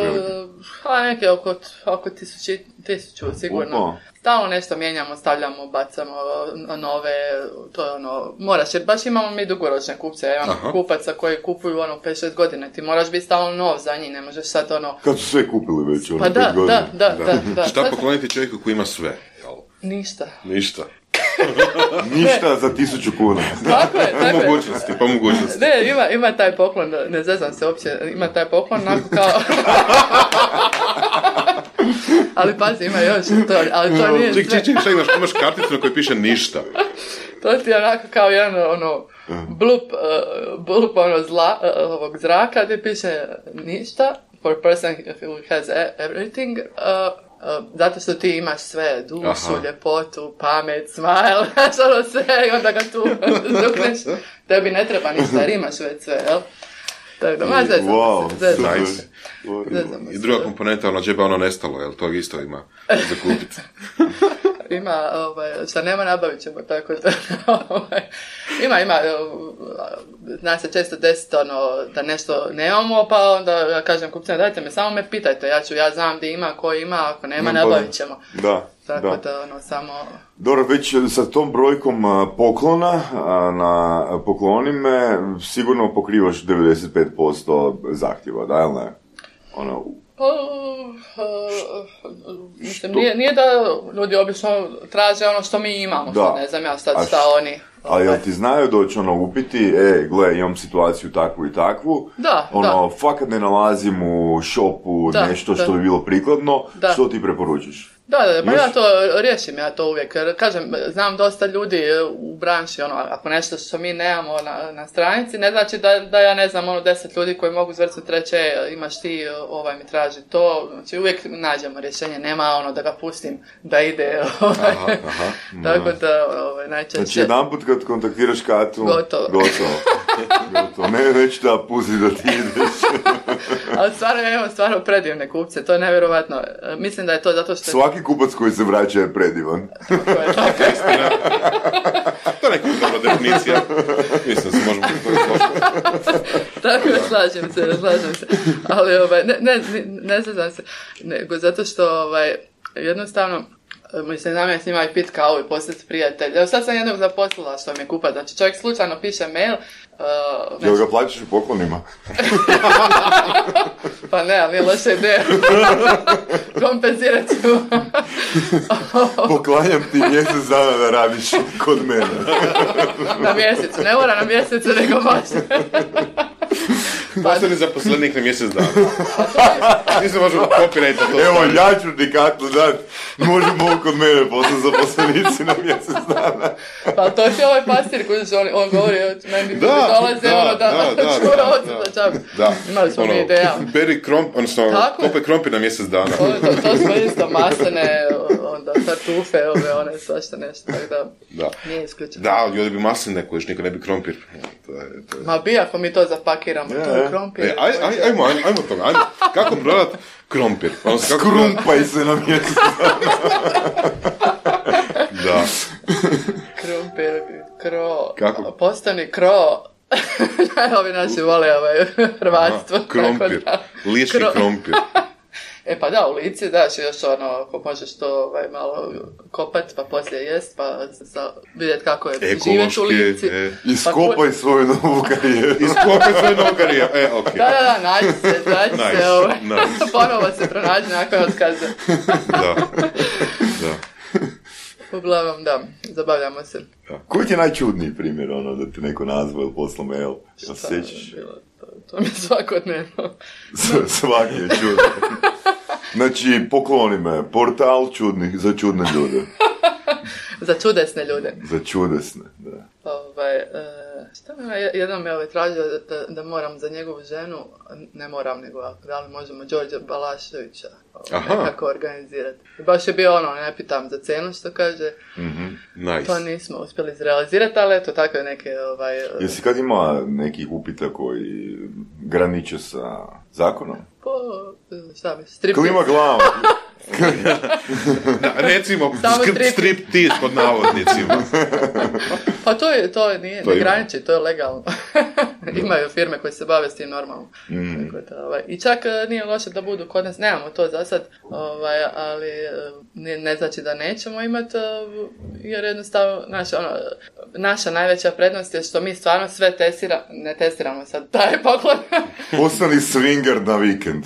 pa neke oko, oko tisuću, tisuću sigurno. Opa. Stalno nešto mijenjamo, stavljamo, bacamo nove, to je ono, moraš, jer baš imamo mi dugoročne kupce, ja imam Aha. kupaca koji kupuju ono pet šest godina, ti moraš biti stalno nov za njih, ne možeš sad ono... Kad su sve kupili već, ono, pa da, da, da, da, da, da. Šta pokloniti čovjeku koji ima sve? Ništa. Ništa. Ništa za tisuću kuna. Tako je, tako je. Po mogućnosti, po mogućnosti. Ne, ima, ima taj poklon, ne zezam se uopće, ima taj poklon, onako kao... ali pazi, ima još to, ali to nije sve. Ček, ček, ček, šta imaš, imaš karticu na kojoj piše ništa. To ti je onako kao jedan, ono, blup, uh, blup, ono, zla, uh, ovog zraka, gdje piše ništa, for a person who has everything, uh, Uh, zato što ti imaš sve, dušu, Aha. ljepotu, pamet, smile, znaš ono sve i onda ga tu zdukneš. Tebi ne treba ništa jer imaš već sve, jel? Tako da, ma zezam wow, se, zezam nice. se. Zezam I druga komponenta, ono džeba ono nestalo, jel? To isto ima za kupiti. Ima, ovaj, šta nema nabavit ćemo, tako da, ovaj, ima, ima, zna se često desiti, ono, da nešto nemamo, pa onda ja kažem kupcima, dajte me, samo me pitajte, ja ću, ja znam gdje ima, ko ima, ako nema, nabavit ćemo. Da, tako da. da, ono, samo... Dobro, već sa tom brojkom poklona na poklonime sigurno pokrivaš devedeset pet posto zahtjeva, da, ili ne? Ono... Uh, uh, mislim, nije, nije da ljudi obično traže ono što mi imamo, što ne znam ja sad šta oni... Ali jel ti znaju doći ono upiti, e, gle, imam situaciju takvu i takvu, da, ono, da. fakat ne nalazim u shopu da, nešto da. što bi bilo prikladno, da. što ti preporučiš? Da, da, pa Još? ja to riješim, ja to uvijek. Kažem, znam dosta ljudi u branši, ono, ako nešto što mi nemamo na, na stranici, ne znači da, da ja ne znam, ono, deset ljudi koji mogu zvrcati reći, imaš ti, ovaj mi traži to, znači uvijek nađemo rješenje, nema ono da ga pustim da ide, ovaj. Aha, aha. Tako da, ovaj, najčešće... Znači, jedan put kad kontaktiraš Katu, gotovo. Gotovo. gotovo. Ne, neću da pusti da ti ideš. Ali stvarno, ja imam stvarno predivne kupce, to je nevjerovatno. Mislim da je to zato što... Svaki kupac koji se vraća je predivan. Tako je, tako je. To je neka dobra definicija. Mislim da se možemo... Tako je, slažem se, slažem se. Ali, ovaj, ne, ne, ne znam se, nego zato što, ovaj, jednostavno, mislim, nam je s njima i pit kavu i postati prijatelj. Evo sad sam jednog zaposlila što mi je kupac. Znači, čovjek slučajno piše mail. Uh, Jel ga plaćaš u poklonima? Pa ne, ali nije loša ideja. Kompenzirat ću. Poklanjam ti mjesec dana da radiš kod mene. Na mjesecu, ne mora na mjesecu, nego može. Postani zaposlenik na mjesec dana. Nisam možemo copyright to. Evo, ja ću ti Katu dat. Možemo kod mene postati zaposlenici na mjesec dana. Pa to ti ovaj pastir koji on, on govori, meni Da, dolaze da, ono da, da, da, čura da, od da. za čabu. Da. Imali smo Ono, mi ideja. Beri kromp, odnosno Tako je. kope krompir na mjesec dana. To, to, to smo isto maslene, onda tartufe, ove, one, svašta nešto, tako da, Da. nije isključeno. Da, ali ovdje bi masline kojiš, niko ne bi krompir. To je, to je. Ma bi ako mi to zapakiramo, Je, to je je. krompir. E, aj, aj, ajmo, ajmo, ajmo toga, ajmo. Kako prodat krompir? Odnosno, kako prodat- Skrumpaj se na mjesec. Da. Krompir, kro, Kako? postani kro. Ovi naši vole ovaj, hrvatstvo. Aha, krompir. tako da. Lički Kro- krompir. E pa da, u Lici daš još ono, ako možeš to ovaj, malo kopat, pa poslije jest, pa sa, vidjeti kako je živjeti u Lici. e. Iskopaj svoju novu karijeru. Iskopaj svoju novu karijeru. E, okej. Da, da, da, nađi se, nađi Nice, se, ovaj, nice. ponovo se pronađi nakon otkaza. Da. Da. Uglavnom, da, zabavljamo se. Koji ti je najčudniji primjer, ono, da ti neko nazva ili posla mail? Jel se sjećaš? Bilo, to, to mi je svakodnevno. S- Svaki je čudan. Znači, pokloni me, portal čudnih za čudne ljude. Za čudesne ljude. Za čudesne, da. Ovaj, e, šta me je- jednom me ovaj tražio da, da, da moram za njegovu ženu, ne moram, nego da li možemo Đorđa Balaševića ovaj, Aha. nekako organizirati. I baš je bio ono, ne pitam za cenu što kaže, Nice. to nismo uspjeli izrealizirati, ali eto takve neke ovaj, Jesi kad ima nekih upita koji graniče sa zakonom? po, šta bi, striptiz. Klima glavom. Da, recimo, Samo sk- strip. striptiz pod navodnicima. Pa to je, to je, nije, To ne ima. graniči, to je legalno. Imaju firme koje se bave s tim normalno. Mm. Tako da, ovaj, i čak e, nije loše da budu kod nas, nemamo to za sad, ovaj, ali e, ne, ne znači da nećemo imati, e, jer jednostavno, naša, ono, naša najveća prednost je što mi stvarno sve testiramo, ne testiramo sad, taj poklon. Postani swinger na vikend.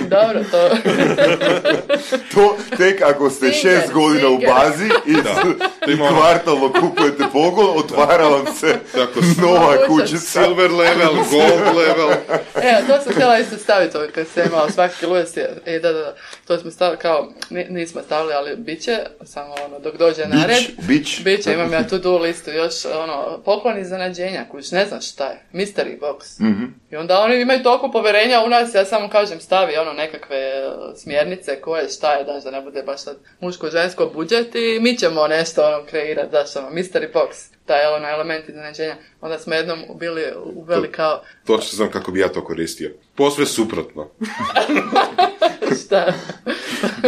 Dobro, to... To tek ako ste Swinger, šest godina u swinger. bazi i, To i ima ono- kvartalno kupujete pogon, otvara vam se Tako, nova Moguće. kućica. silver level, gold level. E, to sam htjela isto staviti ovaj, kad se imao svaki ludes. E, da, da, da, to smo stavili kao, ni- nismo stavili, ali bit će, samo ono, dok dođe na red. Bić, bić. Biće, imam ja tu do listu, još ono, poklon iznenađenja, kuć, ne znam šta je, mystery box. Mhm. I onda oni imaju toliko poverenja u nas, ja samo kažem stavi ono nekakve e, smjernice koje, šta je, daš da ne bude baš sad muško-žensko budžet i mi ćemo nešto ono kreirati, daš ono, mystery box, taj ono element iznenađenja. Onda smo jednom bili uveli kao, Točno znam kako bi ja to koristio. Posve suprotno. šta?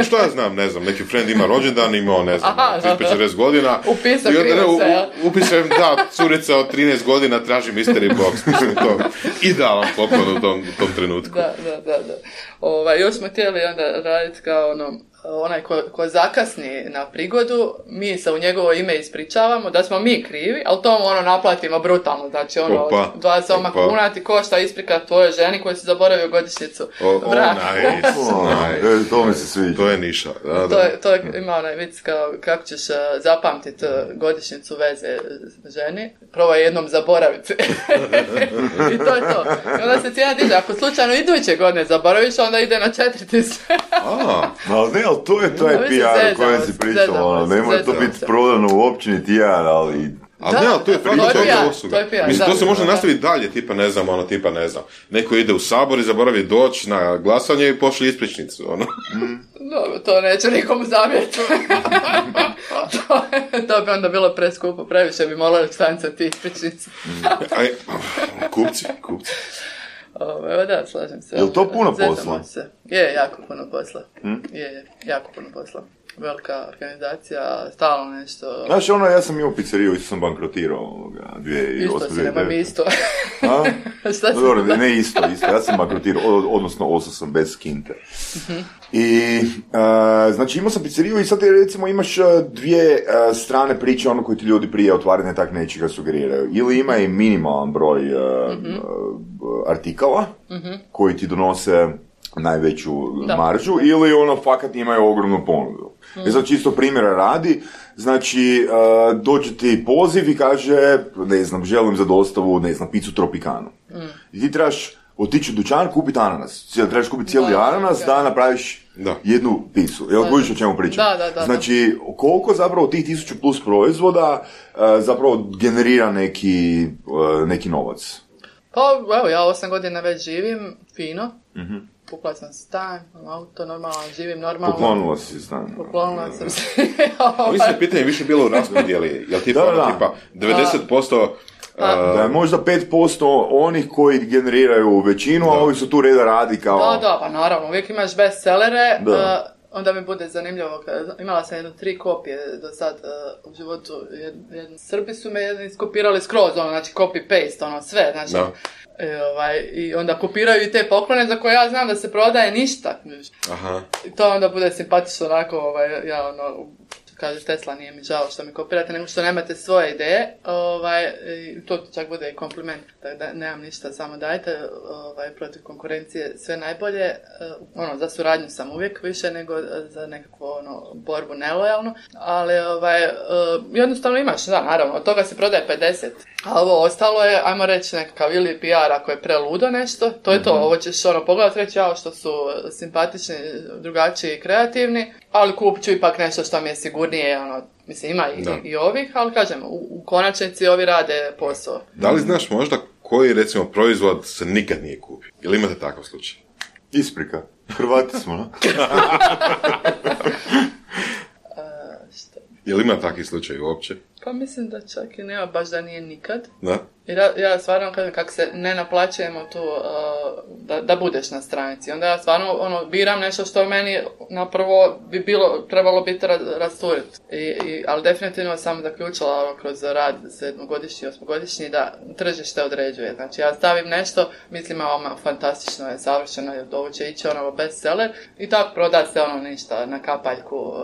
Što ja znam, ne znam, neki friend ima rođendan, imao, ne znam, Aha, trideset četrdeset godina. Upisao I onda, krivo ne, se, jel? u- Upisujem, da, curica od trinaest godina traži mystery box. Mislim, to idealan poklon u tom, u tom trenutku. Da, da, da, da. Ovaj, još smo htjeli onda raditi kao ono, onaj ko, ko zakasni na prigodu, mi se u njegovo ime ispričavamo da smo mi krivi, ali to ono naplatimo brutalno, znači ono, Opa, dvadeset osam kuna ti košta isprika tvojoj ženi koji si zaboravio godišnjicu braka. Nice. To mi se sviđa. To je niša. Da, da. To, je, to je, ima onaj vic kao kako ćeš zapamtiti godišnjicu veze ženi, probaj jednom zaboraviti. I to je to. I onda se cijena diže, ako slučajno iduće godine zaboraviš, onda ide na četiri tisuće. Ali ne, ali to je taj P R o kojem si pričala, ono, ne mora to biti prodano u općini T R, ali... Ali ne, ali to je praktična usluga. To je P R, Mislim, da, to se može da, nastaviti dalje, tipa ne znam, ono, tipa ne znam. Neko ide u sabor i zaboravi doći na glasanje i pošli ispričnicu, ono. Dobro, to neće nikomu zamjeriti. to, to bi onda bilo preskupo, previše bi morali štancati ispričnicu. Aj, kupci, kupci. Ove, da, slažem se. Je li to puno posla? Se. Je, jako puno posla. Hmm? Je, je, jako puno posla. Velika organizacija, stalno nešto... Znaš, ono, ja sam imao pizzeriju, isto sam bankrotirao ovoga, dvije tisuće osam. Isto si, nema mi isto. A? Šta no, dobro, ne isto, isto. Ja sam bankrotirao, odnosno ostao sam bez kinte. Uh-huh. I, uh, znači, imao sam pizzeriju i sad recimo imaš dvije uh, strane priče, ono koji ti ljudi prije otvaranja tak nečega sugeriraju. Ili ima i minimalan broj uh, uh-huh. uh, artikala uh-huh. koji ti donose najveću da. maržu, ili ono fakat imaju ogromnu ponudu. Mm. I sad čisto primjera radi, znači uh, dođe ti poziv i kaže, ne znam, želim za dostavu, ne znam, picu Tropicanu. Mm. I ti trebaš otići u dućan, kupiti ananas. Trebaš kupiti cijeli da, ananas da, da napraviš da. jednu picu. Jel kužiš o čemu pričam? Da, da, da, znači, koliko zapravo tih tisuću plus proizvoda uh, zapravo generira neki, uh, neki novac? Pa, evo, ja osam godina već živim, fino. Mm-hmm. Kupila sam stan, auto, normalno, živim normalno. Poklonila si stan. Poklonila sam se. Mislim, pitanje je više bilo u raspodijeli. Jel tipa, da, da. tipa devedeset posto... Uh, da je možda pet posto onih koji generiraju većinu, da. a ovi su tu reda radi kao... Da, da, pa naravno, uvijek imaš bestsellere, uh, onda mi bude zanimljivo. Imala sam jedno tri kopije do sad uh, u životu. Jed, jedni Srbi su me jedni iskopirali skroz, ono, znači copy-paste, ono, sve, znači... Da. I, ovaj, i onda kopiraju i te poklone za koje ja znam da se prodaje ništa. Aha. I to onda bude simpatično onako, ovaj, ja ono, kaže Tesla, nije mi žao što mi kopirate, nego što nemate svoje ideje, ovaj, i to čak bude i kompliment, tako da nemam ništa, samo dajte, ovaj, protiv konkurencije sve najbolje, ono, za suradnju sam uvijek više nego za nekakvu, ono, borbu nelojalnu, ali, ovaj, jednostavno imaš, da, naravno, od toga se prodaje pedeset, a ovo ostalo je, ajmo reći, nekakav ili P R ako je preludo nešto, to je to, ovo ćeš, ono, pogledati, reći, jao, što su simpatični, drugačiji i kreativni, ali kupit ću ipak nešto što mi je sigurnije, ono, mislim, ima i, i ovih, ali kažem, u, u konačnici ovi rade posao. Da li znaš možda koji, recimo, proizvod se nikad nije kupio? Ili imate takav slučaj? Isprika. Hrvati smo, no? Je li ima takvi slučaj uopće? Pa mislim da čak i nema, baš da nije nikad. Da? Jer ja, ja stvarno kažem, kako se ne naplaćujemo tu uh, da, da budeš na stranici. Onda ja stvarno ono, biram nešto što meni napravo bi bilo, trebalo biti rasturiti. I, i, ali definitivno sam zaključila ono, kroz rad sedmogodišnji, osmogodišnji da tržište određuje. Znači ja stavim nešto, mislim ovo fantastično je, savršeno je, ovo će ići ono bestseller i tako proda se ono ništa na kapaljku uh,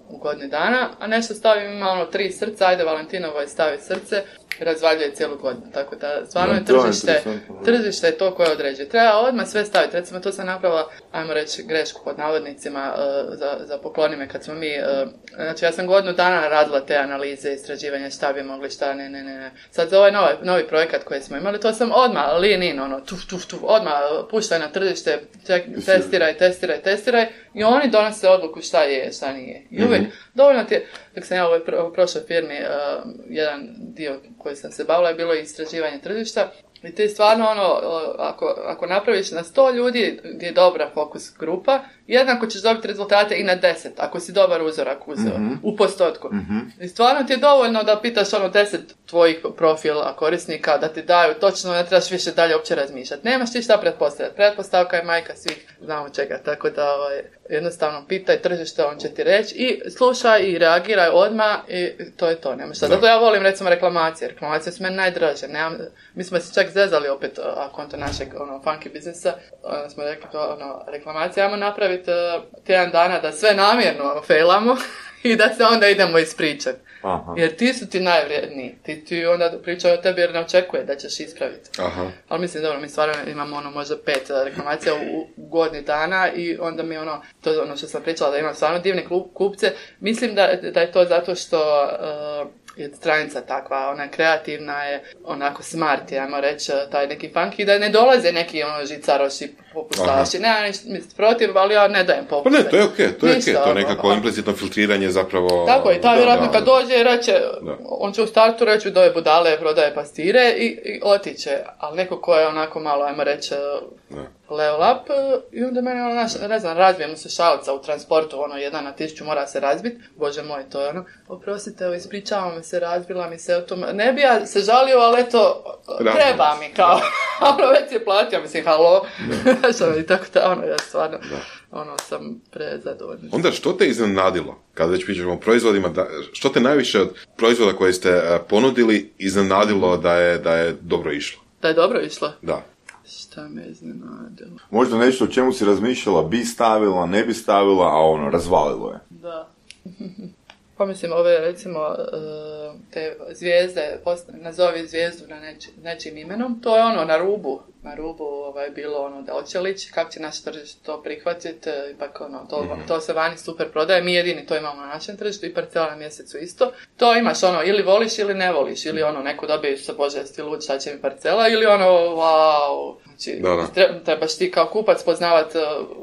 u godini dana, a nešto stavim ima ono tri srca, ajde Valentinovo je stavi srce, razvaljuje cijelu godinu. Tako da stvarno je tržište, tržište je to koje određuje. Treba odmah sve staviti. Recimo to sam napravila, ajmo reći, grešku pod navodnicima uh, za, za poklonime kad smo mi, uh, znači ja sam godinu dana radila te analize, istraživanja šta bi mogli, šta ne, ne, ne. Sad za ovaj novi, novi projekat koji smo imali, to sam odmah lean in, ono, tuf, tuf, tuf, odmah puštaj na tržište, ček, testiraj, testiraj, testiraj i oni donose odluku šta je, šta nije. I uvijek, mm-hmm. dovoljno ti je, dok sam ja u ovoj pro, prošloj firmi, uh, jedan dio koji sam se bavila je bilo istraživanje tržišta i ti stvarno ono, ako, ako napraviš na sto ljudi gdje je dobra fokus grupa, jednako ćeš dobiti rezultate i na deset, ako si dobar uzorak uzeo, mm-hmm. u postotku. Mm-hmm. I stvarno ti je dovoljno da pitaš ono deset tvojih profila korisnika da ti daju točno, ne trebaš više dalje uopće razmišljati. Nemaš ti šta pretpostavljati. Pretpostavka je majka svih, znamo čega, tako da ovaj, jednostavno pitaj tržište, on će ti reći i slušaj i reagiraj odmah i to je to, nemaš šta. Zato ja volim recimo reklamacije. Reklamacije su meni najdraže. Nemam, mi smo se čak zezali opet, a konto našeg ono, funky biznisa, onda smo rekli to, ono, reklamacija, ajmo napraviti uh, tjedan dana da sve namjerno failamo i da se onda idemo ispričati. Aha. Jer ti su ti najvrijedniji. Ti, ti onda pričaju o tebi jer ne očekuje da ćeš ispraviti. Aha. Ali mislim, dobro, mi stvarno imamo ono možda pet reklamacija u, u godini dana i onda mi ono, to je ono što sam pričala da imam stvarno divne kupce. Mislim da, da je to zato što uh, je stranica takva, ona je kreativna, je onako smart, ajmo reći, taj neki funky, da ne dolaze neki ono žicaroši popustaši. Ne, ja ništa protiv, ali ja ne dajem popuste. Pa ne, to je okej, okay, to je okej, okay. To je nekako implicitno filtriranje zapravo... Tako je, ta vjerojatno kad dođe i reće, da. On će u startu reći da je budale, prodaje pastire i, i otiće, ali neko ko je onako malo, ajmo reći, level up, i onda mene ono, naš, ne znam, razbije mu se šalica u transportu, ono, jedan na tisuću mora se razbiti, bože moj, to je ono, oprostite, ispričavam me se, razbila mi se, to, ne bi ja se žalio, ali eto, treba mi, kao, ono, već je platio, mislim, halo, što i tako da, ono, ja stvarno, da. Ono, sam prezadovoljna. Onda, što te iznenadilo, kada već pričamo o proizvodima, da, što te najviše od proizvoda koje ste uh, ponudili iznenadilo da je, da je dobro išlo? Da je dobro išlo? Da. Šta me iznenadilo? Možda nešto o čemu si razmišljala, bi stavila, ne bi stavila, a ono, razvalilo je. Da. Pa mislim, ove, recimo, te zvijezde, nazovi zvijezdu na neči, nečim imenom, to je ono, na rubu, na rubu ovaj, bilo ono, da hoće lići, kako će naše tržište to prihvatiti, ipak ono, to, mm-hmm. to se vani super prodaje, mi jedini to imamo na našem tržištu i parcela na mjesecu isto. To imaš ono, ili voliš ili ne voliš, ili ono, neko dobije sa bože, jesi lud, šta će mi parcela, ili ono, wow, znači, da, da. trebaš ti kao kupac poznavati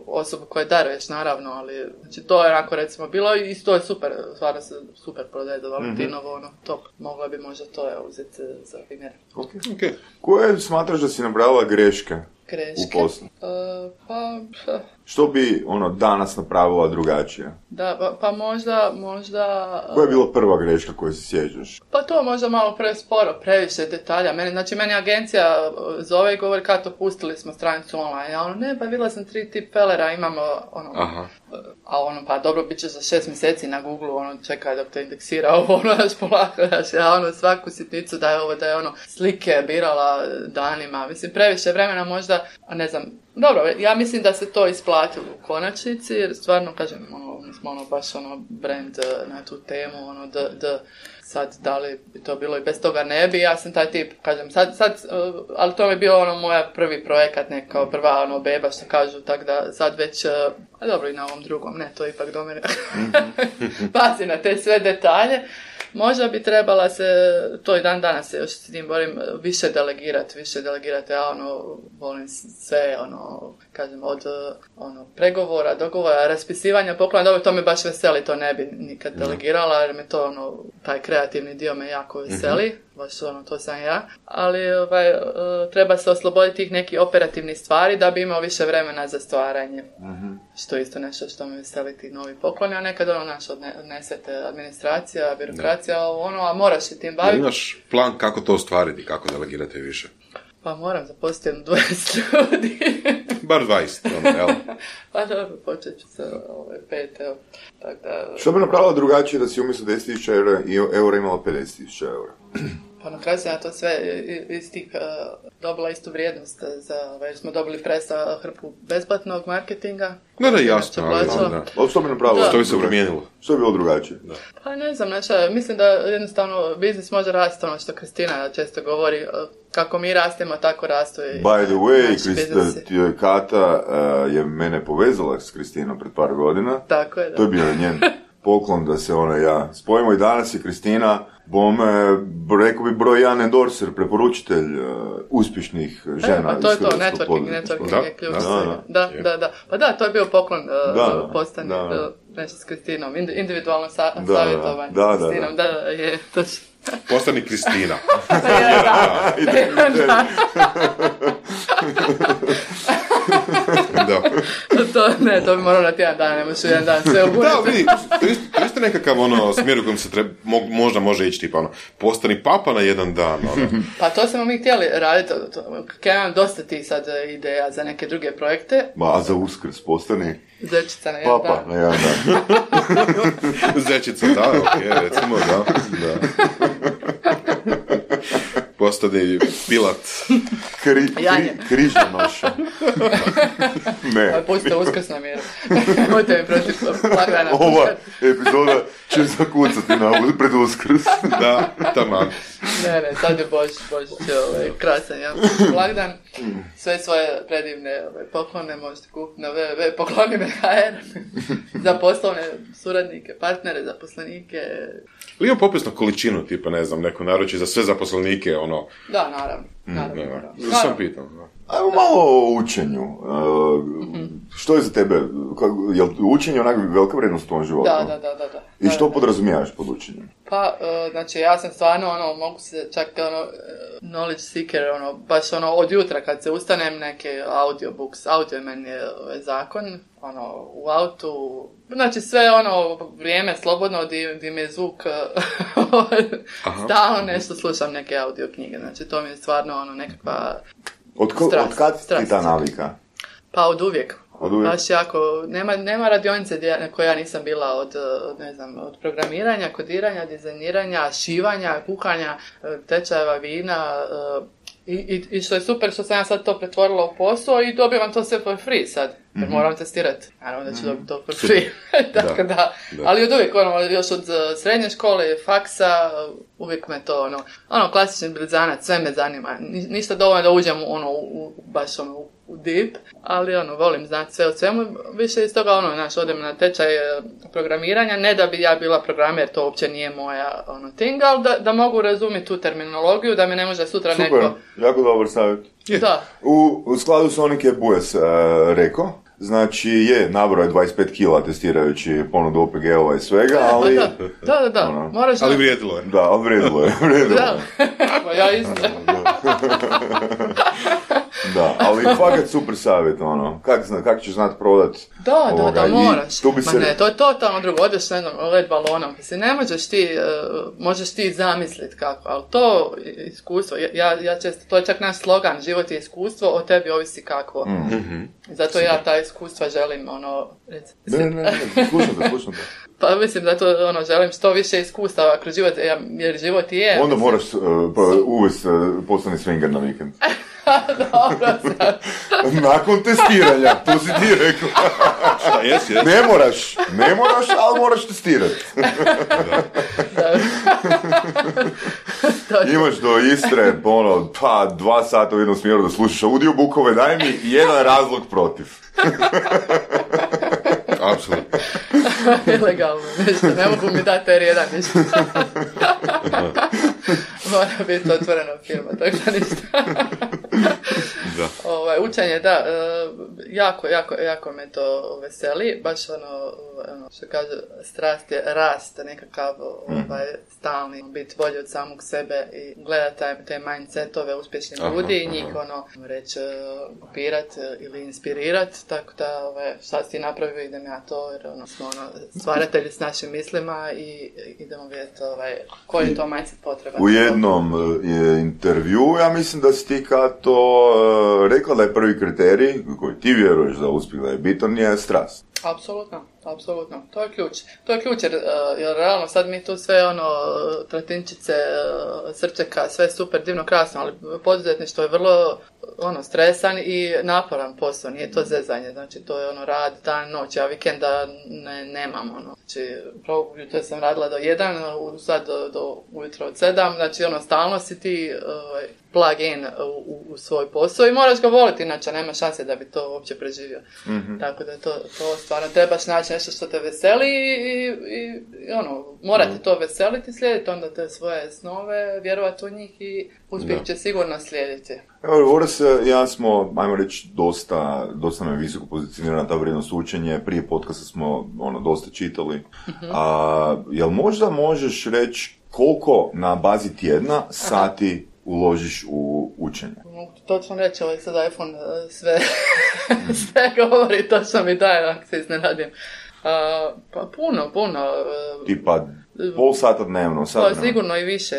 osobu koju daruješ, naravno, ali, znači, to je onako, recimo, bilo i to je super, stvarno se super prodaje za Valentinovo, ono, top, mogla bi možda to je uzeti za primjer. Ok, ok. Koje smatraš da si nabrala greške, greške? U poslu? Uh, pa... Što bi, ono, danas napravila drugačije? Da, pa, pa možda, možda... Koja je bila prva greška koju se sjećaš? Pa to možda malo presporo, previše detalja. Meni, znači, meni agencija zove i govori kako pustili smo stranicu online. Ja ono, ne, pa vidjela sam tri tip felera, imamo, ono... Aha. A ono, pa dobro, bit će za šest mjeseci na Google, ono, čekaj dok te indeksira ovo, ono, daš polako, daš, ja ono, svaku sitnicu da je ovo, da je ono, slike birala danima. Mislim, previše vremena možda, a ne znam, dobro, ja mislim da se to isplatilo u konačnici, jer stvarno, kažem, ono, mi smo ono, baš ono, brand na tu temu, ono, d, d, sad, da li bi to bilo i bez toga ne bi, ja sam taj tip, kažem, sad, sad, uh, ali to mi je bio ono, moja prvi projekat, ne, kao prva, ono, beba, što kažu, tako da sad već, uh, a dobro i na ovom drugom, ne, to ipak do mene, pazi na te sve detalje. Možda bi trebala se, to i dan danas se još s tim borim, više delegirati, više delegirati, ja ono, volim sve, ono, kažem, od ono, pregovora, dogovora, raspisivanja poklona, dobro, to me baš veseli, to ne bi nikad delegirala, jer me to, ono, taj kreativni dio me jako veseli, mm-hmm. baš ono, to sam ja, ali ovaj, treba se osloboditi tih nekih operativnih stvari da bi imao više vremena za stvaranje. Mm-hmm. Što je isto nešto što me veseli ti novi pokloni, a nekad ono naš odnesete administracija, birokracija, ovo ono, a moraš se tim baviti. Imaš plan kako to ostvariti, kako delegirati više? Pa moram zaposliti jedno dvadeset ljudi. Bar dvadeset, ono, jel? Pa dobro, počet ću sa ove pet, evo. Tak da... Što bi napravila drugačije da si umjesto deset tisuća eura, eura imala pedeset tisuća eura? Pa na kraju sam ja to sve iz tih uh, dobila istu vrijednost, za, jer smo dobili presa hrpu besplatnog marketinga. Da, da, jasno, ali da. Ali što bi napravila? Što bi se promijenilo? Što bi bilo drugačije? Da. Pa ne znam, znači, mislim da jednostavno biznis može rasti, ono što Kristina često govori, kako mi rastemo, tako rastu i By the way, Krista, Kata uh, je mene povezala s Kristinom pred par godina. Tako je, da. To je bio njen poklon da se ona ja spojimo i danas je Kristina bome, rekao bi broj jedan endorser, preporučitelj uh, uspješnih žena. E, pa to je to, networking, networking je ključ. Da, da, da, da. Pa da, to je bio poklon uh, da, postani, da, da. nešto s Kristinom, individualno sa, da, savjetovanje da, s Kristinom, da, da, da, je točno. Postani Kristina. da, da. Da. to, ne, to bi moralo na tjedan dana, ne možeš jedan dan sve obunuti. Da, vidi, to je isto, isto nekakav ono, smjer u kojem se treba, mo, možda može ići tipa ono, postani papa na jedan dan. Ono. Pa to smo mi htjeli raditi, kaj imam dosta tih sad ideja za neke druge projekte. Ma, a za Uskrs postani? Zečica na jedan papa dan. na jedan dan. Zečica, da, ok, recimo, da. da. postane pilat. Kri, kri, križanoša. Ne. Pustite uskrs na miru. Mojte mi protiv blagdana. Ova epizoda će zakucati na pred uskrs. Da, taman. Ne, ne, sad je Božić, Božić je ovaj, krasan, ja. Blagdan. Sve svoje predivne ovaj, poklone možete kupiti na w w w tačka pokloni me tačka h r za poslovne suradnike, partnere, zaposlenike. Li ima popisnu količinu, tipa, ne znam, neko naruči za sve zaposlenike, ono... Da, naravno. naravno, mm, naravno. naravno. Sam pitam. Ajmo malo o učenju. Uh, mm-hmm. Što je za tebe? Je li učenje onak velika vrednost u tom životu? Da, da, da, da, da. I što podrazumijavaš pod učenjem? Pa, uh, znači, ja sam stvarno, ono, mogu se čak, ono, knowledge seeker, ono, baš, ono, od jutra kad se ustanem, neke audiobooks, audio meni je ovaj, zakon, ono, u autu, znači, sve, ono, vrijeme slobodno, di, di mi je zvuk stalno nešto slušam neke audio knjige, znači, to mi je stvarno, ono, nekakva Od, ko, strast, od kad strast. ti ta navika? Pa od uvijek. Od uvijek. Baš jako, nema, nema radionice gdje, na kojoj ja nisam bila od, od, ne znam, od programiranja, kodiranja, dizajniranja, šivanja, kuhanja, tečajeva vina, i, i, i što je super što sam ja sad to pretvorila u posao i dobivam to sve for free sad, jer mm-hmm. moram testirati. Naravno da ću dobiti to for free. Tako da, da. da. Ali od uvijek, ono, još od srednje škole, faksa, uvijek me to, ono, ono klasični blizanac, sve me zanima. Ni, ništa dovoljno da uđem, ono, u, baš, ono, u, u deep, ali, ono, volim znati sve o svemu. Više iz toga, ono, znaš, odem na tečaj programiranja, ne da bi ja bila programer, to uopće nije moja, ono, thing, ali da, da mogu razumjeti tu terminologiju, da mi ne može sutra Super, neko... jako dobar savjet. Yeah. Da. U, u skladu s onim je Bujas uh, rekao, znači je, nabrao je dvadeset pet kila testirajući ponudu O P G-ova i svega, ali... Da, da, da, da. Ono, moraš... Ali vrijedilo je. Da, ali vrijedilo je, vrijedilo je. Da, pa ja isto. Da, ali fakat super savjet, ono, kak, kak ćeš znat prodat da, ovoga, da, da, moraš. Tu bi Ma se... ne, to je totalno drugo, odeš na jednom led balonom, si ne možeš ti, uh, možeš ti zamisliti kako, ali to iskustvo, ja, ja često, to je čak naš slogan, život je iskustvo, o tebi ovisi kako. Mm-hmm. Zato super. Ja ta iskustva želim, ono, reci. Ne, ne, ne, slušam te, slušam te. Pa mislim da to, ono, želim što više iskustava kroz život, jer život je... Onda moraš uh, pa, uvesti uh, postani swinger na vikend. Dobro, sad. Nakon testiranja, to si ti rekao. Šta, jes, jes. Ne moraš, ne moraš, ali moraš testirati. Imaš do Istre, ono, pa dva sata u jednom smjeru da slušaš audiobookove, daj mi jedan razlog protiv. Apsolutno. Ilegalno, ništa, ne mogu mi dati R jedan, ništa. Mora biti otvoreno firma, tako da ništa. Da. Ovaj, učenje, da, jako, jako, jako me to veseli, baš ono, ono što kaže, strast je rast, nekakav ovaj, stalni, biti bolji od samog sebe i gledati taj, te mindsetove uspješnih aha, ljudi i njih, aha. ono, reći, kopirat ili inspirirat, tako da, ovaj, šta si ti napravio, idem ja to, jer ono, smo ono, stvaratelji s našim mislima i idemo vidjeti ovaj, koji je to mindset potreban. U jednom je intervju, ja mislim da si ti Kato rekla da je prvi kriterij koji ti vjeruješ da uspjeh da je bitan je strast. Apsolutno, apsolutno. To je ključ. To je ključ jer, jer realno sad mi tu sve ono tratinčice, srčeka, sve super, divno, krasno, ali poduzetništvo je vrlo ono stresan i naporan posao, nije to zezanje, znači to je ono rad, dan, noć, ja vikenda ne, nemam ono. Znači, jutro sam radila do jedan, sad do, do ujutro od sedam, znači ono stalno si ti ovaj, plug in u, u svoj posao i moraš ga voliti, inače nema šanse da bi to uopće preživio. Mm-hmm. Tako da to, to stvarno trebaš naći nešto što te veseli i, i, i ono, morate mm. to veseliti, slijediti onda te svoje snove, vjerovati u njih i uspjeh će sigurno slijediti. Evo, Voras, ja smo, ajmo reći, dosta, dosta nam je visoko pozicionirana ta vrijednost učenje, prije podcasta smo ono, dosta čitali. Mm-hmm. A, jel možda možeš reći koliko na bazi tjedna sati aha. uložiš u učenje? Točno reći, ovaj sad iPhone sve, sve govori, točno mi daje, ako se iznenadim. Uh, pa puno, puno. Uh, Tipa pol sata dnevno, sat pa, dnevno. Sigurno i više,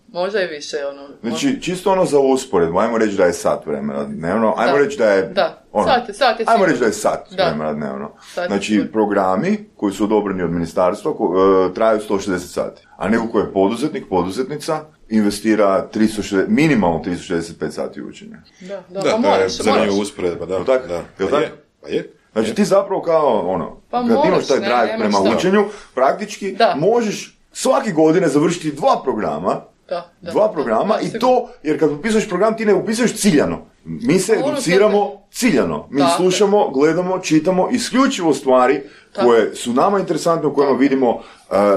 možda i više. Ono, znači, možda... čisto ono za usporedbu, ajmo reći da je sat vremena dnevno, ajmo da. reći da je... Da, ono, sat je, sat je ajmo reći da je sat da. vremena dnevno. Sat znači, programi koji su odobreni od ministarstva ko, uh, traju sto šezdeset sati. A neko ko je poduzetnik, poduzetnica, investira tristo šezdeset, minimalno tristo šezdeset pet sati učenja. Da, da, da pa to moraš, je zanimljiva usporedba, da. Tak, da. Jel Pa tak? je, pa je. Znači je. ti zapravo kao ono, pa kad moraš, imaš taj ne, drive prema šta. učenju, praktički da. možeš svake godine završiti dva programa, da, da, dva programa da, da, i to, jer kad upisuješ program ti ne upisuješ ciljano. Mi se ono educiramo tebe. ciljano. Mi Tako. slušamo, gledamo, čitamo isključivo stvari Tako. koje su nama interesantne, u kojima Tako. vidimo uh,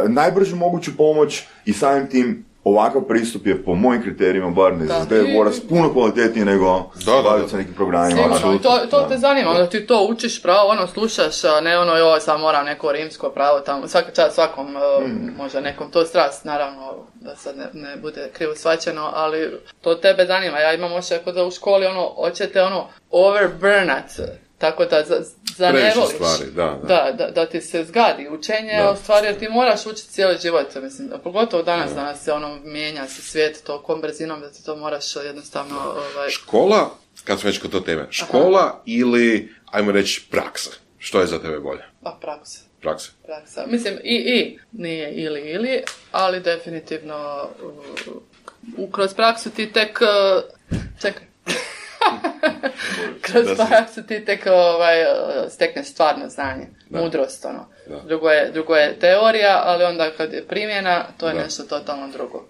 najbržu moguću pomoć i samim tim ovakav pristup je po mojim kriterijima bar ne zazdaje moraš puno kvalitetnije nego baviti sa nekim programima. Sigurno, to, to te zanima, onda ti to učiš pravo, ono slušaš, a ne ono joj sad moram neko rimsko pravo tamo, svaka čast svakom, mm. možda nekom to strast, naravno da sad ne, ne bude krivo shvaćeno, ali to tebe zanima, ja imam ošće da u školi ono, hoćete ono overburnat, tako da za, za ne voliš, stvari, da, da. Da, da, da ti se zgadi učenje, da. U stvari jer ti moraš učiti cijeli život, mislim, pogotovo danas, da. Danas se ono mijenja se svijet tokom brzinom da ti to moraš jednostavno... Ovaj... Škola, kad smo već kod to teme, škola Aha. ili, ajmo reći, praksa, što je za tebe bolje? Pa praksa. Praksa. Praksa. Mislim, i, i, nije ili, ili, ali definitivno uh, kroz praksu ti tek... Uh, čekaj. Kroz praksu ti tek ovaj, stekneš stvarno znanje, da. Mudrost, ono. Drugo je, drugo je teorija, ali onda kad je primjena, to je da. Nešto totalno drugo.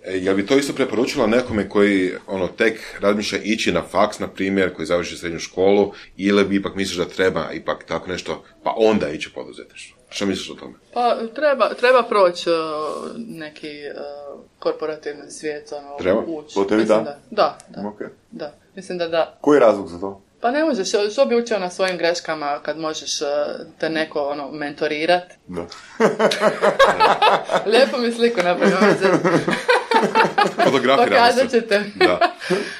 E, jel bi to isto preporučila nekome koji ono, tek razmišlja ići na faks, na primjer, koji završi srednju školu, ili bi ipak misliš da treba ipak tako nešto, pa onda ići u poduzetništvo? Što misliš o tome? Pa treba, treba proći uh, neki uh, korporativni svijet, ono, treba? ući. To tebi da? Da, da, da. Okay. Da. Mislim da da. Koji je razlog za to? Pa ne možeš, što bi učio na svojim greškama kad možeš uh, te neko ono, mentorirat? Da. Lijepo mi sliku napravio. Pokazat ćete. Da.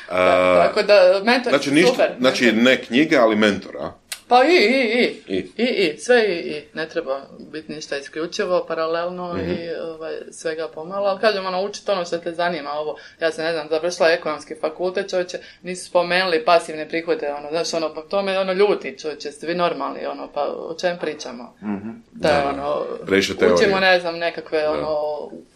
Uh, da, tako da, mentor znači, super. Ništa, znači ne knjige, ali mentor, a? Pa i, i, i, I, i, i. sve i, i. Ne treba biti ništa isključivo, paralelno mm-hmm. i ovaj, svega pomalo, ali kažem, ono, učiti ono što te zanima, ovo, ja se ne znam, završila ekonomski fakultet, čovječe, nisu spomenuli pasivne prihode, ono, znaš, ono, pa to me, ono, ljuti, čovječe, ste vi normalni, ono, pa o čem pričamo? Mm-hmm. Da, da, ono, učimo, ne znam, nekakve, da. Ono,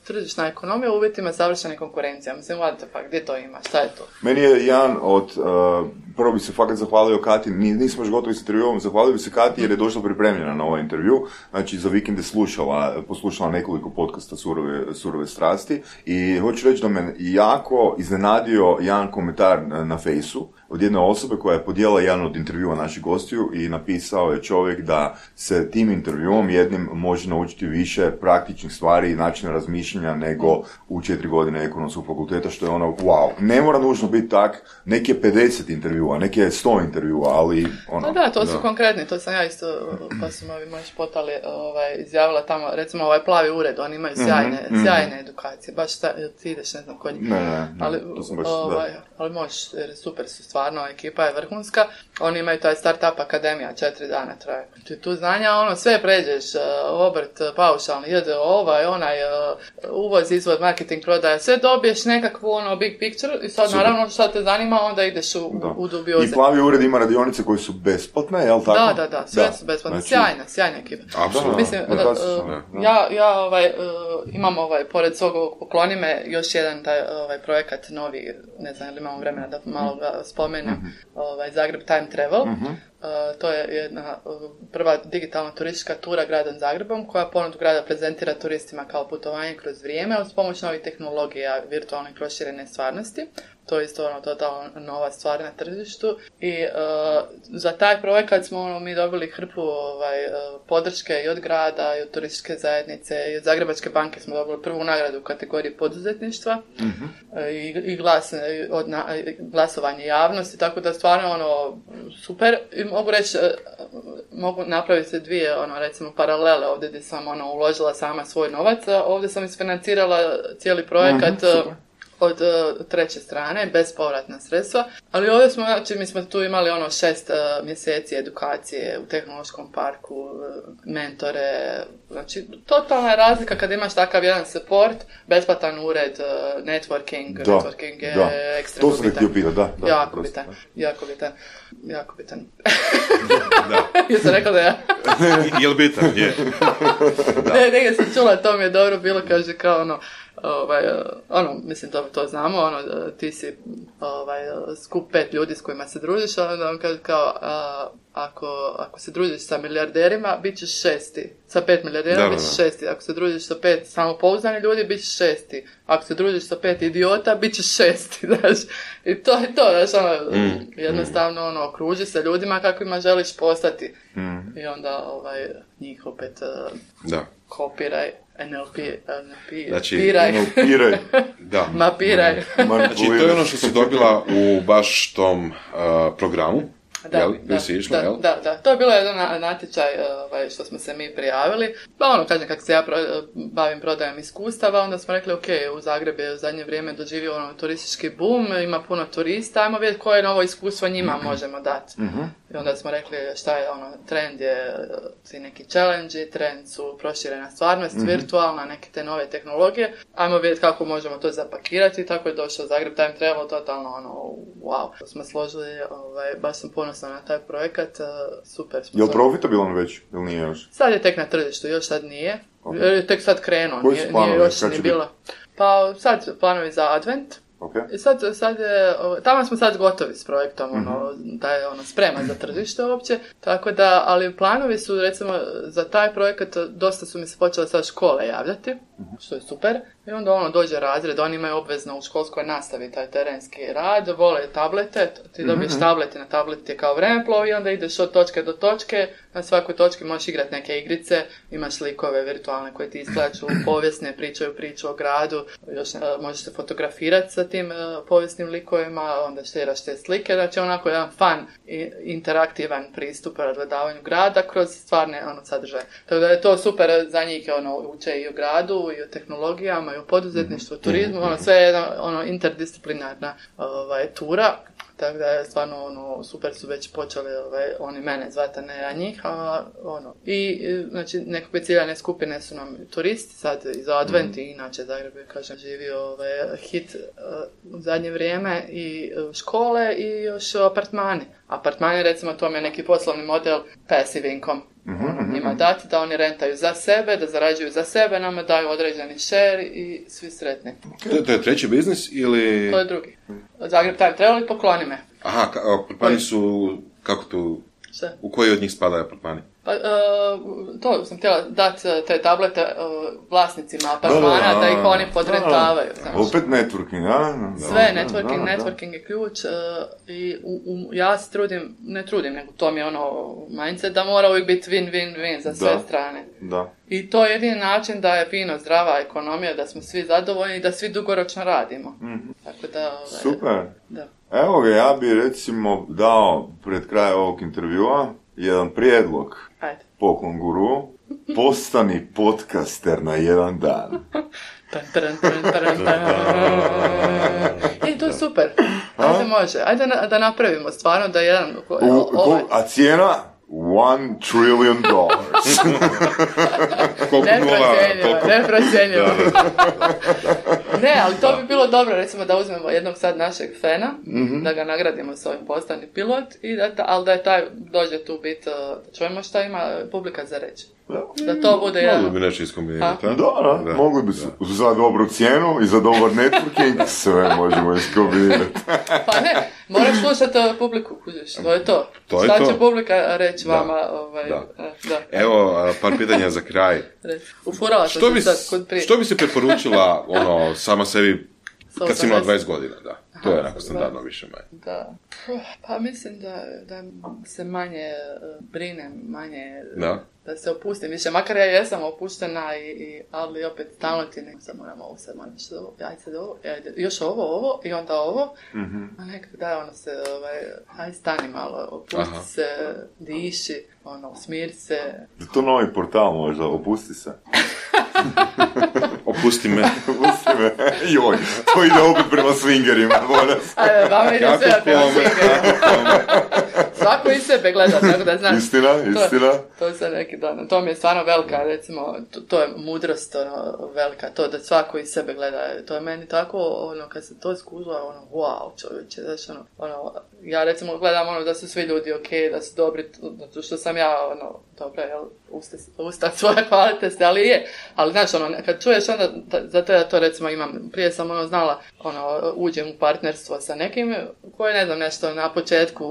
tržišna ekonomija u uvjetima savršene konkurencije, mislim, what the fuck, gdje to ima, šta je to? Meni je jedan od, uh, prvo bi se fakat zahvalio Kati, nismo još gotovi s intervjuom, zahvalio bi se Kati jer je došla pripremljena na ovaj intervju, znači za vikend je slušala, poslušala nekoliko podcasta Surove, Surove strasti i hoću reći da me jako iznenadio jedan komentar na, na Fejsu od jedne osobe koja je podijela jedan od intervjua naših gostiju i napisao je čovjek da se tim intervjuom jednim može naučiti više praktičnih stvari i načina razmišljanja nego u četiri godine ekonomskog fakulteta, što je ono, wow, ne mora nužno biti tak, neke pedeset intervjua, neke sto intervjua, ali ono... No da, to su da. Konkretni, to sam ja isto, pa su ovi moji špotali, ovaj, izjavila tamo, recimo ovaj plavi ured, oni imaju sjajne, mm-hmm. sjajne edukacije, baš ta, ti ideš, ne znam, kod njih. Ne, ne, ne, ali, to sam baš, ovaj, da. Ali možeš, jer super su stvarno, ekipa je vrhunska, oni imaju taj Startup Akademija, četiri dana traje. Ti tu znanja, ono, sve pređeš, obrt, paušalni, jede ovaj, onaj, uvoz, izvod, marketing, prodaja, sve dobiješ nekakvu, ono, big picture i sad, super. Naravno, što te zanima, onda ideš u, u dubioze. I plavi ured ima radionice koje su besplatne, jel tako? Da, da, da, sve da. Su besplatne, znači... sjajna, sjajna ekipa. Apsolutno. Mislim, da, da, uh, ja, ja ovaj, uh, imam ovaj, pored svog ovog pokloni me, još jedan taj ovaj, projekat novi, ne znam, ili imamo vremena da malo ga spomenem, mm-hmm. ovaj, Zagreb Time Travel. Mm-hmm. Uh, to je jedna uh, prva digitalna turistička tura gradom Zagrebom koja ponudu grada prezentira turistima kao putovanje kroz vrijeme uz pomoć novih tehnologija virtualne proširene stvarnosti. To je isto ono totalno nova stvar na tržištu i uh, za taj projekat smo ono, mi dobili hrpu ovaj, uh, podrške i od grada i od turističke zajednice i od Zagrebačke banke smo dobili prvu nagradu u kategoriji poduzetništva mm-hmm. uh, i, i glas, od na, glasovanje javnosti, tako da stvarno ono super i mogu reći, uh, mogu napraviti se dvije ono, recimo paralele ovdje gdje sam ono, uložila sama svoj novac, a ovdje sam isfinancirala cijeli projekat mm-hmm, od uh, treće strane, bespovratna sredstva, ali ovdje smo, znači, mi smo tu imali ono šest uh, mjeseci edukacije u tehnološkom parku, uh, mentore, znači, totalna je razlika kad imaš takav jedan support, besplatan ured, uh, networking, da, networking je da. Ekstremno bitan. To sam htio pitati, da, da. Jako prosto, bitan, da. jako bitan, jako bitan. Da. Jesam rekla da ja? Jel bitan, je. Da. Ne, negdje sam čula, to mi je dobro bilo, kaže kao ono, ovaj, ono, mislim, to, to znamo, ono, ti si ovaj, skup pet ljudi s kojima se družiš, onda on kaže kao, a, ako, ako se družiš sa milijarderima, bit ćeš šesti. Sa pet milijardera, bit ćeš šesti. Ako se družiš sa pet samopouzdani ljudi, bit ćeš šesti. Ako se družiš sa pet idiota, bit ćeš šesti, znaš. I to je to, znaš, ono, mm. jednostavno, ono, okruži se ljudima kakvima želiš postati. Mm. I onda, ovaj, njih opet uh, da. kopiraj. N L P, N L P, znači, piraj. Piraj. Da. Mapiraj. Znači, to je ono što si dobila u baš tom uh, programu. Da, jel? da, si išla, da, jel? da, da. To je bilo jedan natječaj ovaj, što smo se mi prijavili. Pa ono, kažem, kako se ja pro, bavim prodajom iskustava, onda smo rekli, ok, u Zagrebu je u zadnje vrijeme doživio ono turistički boom, ima puno turista, ajmo vidjeti koje novo iskustvo njima mm-hmm. možemo dati. Mm-hmm. I onda smo rekli šta je ono, trend je svi neki challenge, trend su proširena stvarnost, mm-hmm. virtualna, neke te nove tehnologije. Ajmo vidjeti kako možemo to zapakirati, tako je došao Zagreb Time Travel, totalno ono, wow. To smo složili, ovaj, baš sam ponosna na taj projekat, super smo. Je li profitabilan već, ili nije još? Sad je tek na tržištu, još sad nije. Okay. Tek sad krenuo, nije, nije još ni bilo. Pa sad planovi za Advent. Okay. I sad, sad je, tamo smo sad gotovi s projektom, mm-hmm. ono, da je ono sprema za tržište uopće, tako da, ali planovi su, recimo, za taj projekat, dosta su mi se počele sad škole javljati, mm-hmm. što je super, i onda ono, dođe razred, oni imaju obvezno u školskoj nastavi taj terenski rad, vole tablete, ti dobiješ mm-hmm. tablet i na tablet je kao vremeplov i onda ideš od točke do točke, na svakoj točki možeš igrati neke igrice, imaš likove virtualne koje ti iskaču, povijesne, pričaju priču o gradu, još uh, možeš se fotografirati sa tim uh, povijesnim likovima, onda štiraš te slike, znači onako jedan fun i interaktivan pristup razgledavanju grada kroz stvarne ono, sadržaje. Tako da je to super za njih, ono, uče i o gradu, i o tehnologijama, i o poduzetništvu, mm-hmm. turizmu, ono, sve je jedna ono, interdisciplinarna ovaj, tura. Tako da je stvarno ono, super su već počeli ovaj, oni mene zvati, ne ja njih, a ono. I znači nekakve ciljane skupine su nam turisti sad iz Advent mm-hmm. i inače Zagreb je, kažem, živio ovaj, hit uh, u zadnje vrijeme i uh, škole i još apartmani. Apartmani, recimo, to je neki poslovni model passive income. Mm-hmm. Njima dati da oni rentaju za sebe, da zarađuju za sebe, nama daju određeni share i svi sretni. To, to je treći biznis ili... To je drugi. Zagreb Time Travel i Pokloni me. Aha, apartmani su, kako tu, šta? U koji od njih spadaju apartmani? Pa, uh, to sam htjela dati te tablete uh, vlasnicima apartmana, da, da, da ih oni podrentavaju. Da, opet networking, a? Sve, networking, da, da, networking je ključ uh, i u, u, ja se trudim, ne trudim, nego to mi je ono mindset da mora uvijek biti win-win-win za sve da, strane. Da. I to je jedini način da je fino, zdrava ekonomija, da smo svi zadovoljni i da svi dugoročno radimo. Mm-hmm. Tako da... Ovaj, super. Da. Evo ga, ja bi recimo dao pred kraj ovog intervjua jedan prijedlog. Ajde. Poklon guru, postani podcaster na jedan dan. Tan, tan, tan, tan, tan. I to je super. Ajde, može. Ajde na, da napravimo stvarno da jedan... U, ovaj... A cijena? One trillion dollars. Neprocjenjivo, neprocjenjivo. Ne, ali to bi bilo dobro, recimo da uzmemo jednog sad našeg fena, mm-hmm. da ga nagradimo s ovim postani pilot, i da, ali da je taj dođe tu biti, da čujemo šta ima publika za reći. Da, da to bude jedan... Mogli bi nešto iskombinirati. Da, da, da, mogli bi su, za dobru cijenu i za dobar networking sve možemo iskombinirati. Pa ne, moraš slušati publiku, kužiš, to je to. To je šta to. će publika reći da. vama? Ovaj, da. Da. Evo, par pitanja za kraj. Ufurala što, bi, sad kod prije. što bi se preporučila ono, sama sebi kad si imala dvadeset godina, da. To je onako standardno više manje. Da. Pa mislim da, da se manje brinem, manje... Da. Da se opustim više, makar ja jesam opuštena, i, i, ali opet stalno ti ne, sad moram ovo, sad moram što ovo, ajde sad ovo, ajde, još ovo, ovo i onda ovo, mm-hmm. a nekako da, ono se, ovaj, ajde stani malo, opusti Aha. se, diši, ono, smiri se. Je to novi portal možda, opusti se? Opusti me. Opusti me. Joj, to ide opet prema swingerima. Ajde, vama ide sve prema swingerima. svako iz sebe gleda, tako da znaš. Istina, istina. To, to se neki dan, to mi je stvarno velika, recimo, to, to je mudrost, ono, velika, to da svako iz sebe gleda, to je meni tako, ono, kad se to iskužila, ono, wow, čovječe, znaš, ono, ono, ja recimo gledam, ono, da su svi ljudi okej, okay, da su dobri, zato što sam ja, ono, dobro, jel, usta, usta svoje kvalitete, ali je, ali znaš, ono, kad čuješ onda, da, zato ja to recimo imam, prije sam, ono, znala, ono, uđem u partnerstvo sa nekim, koje, ne znam, nešto na početku,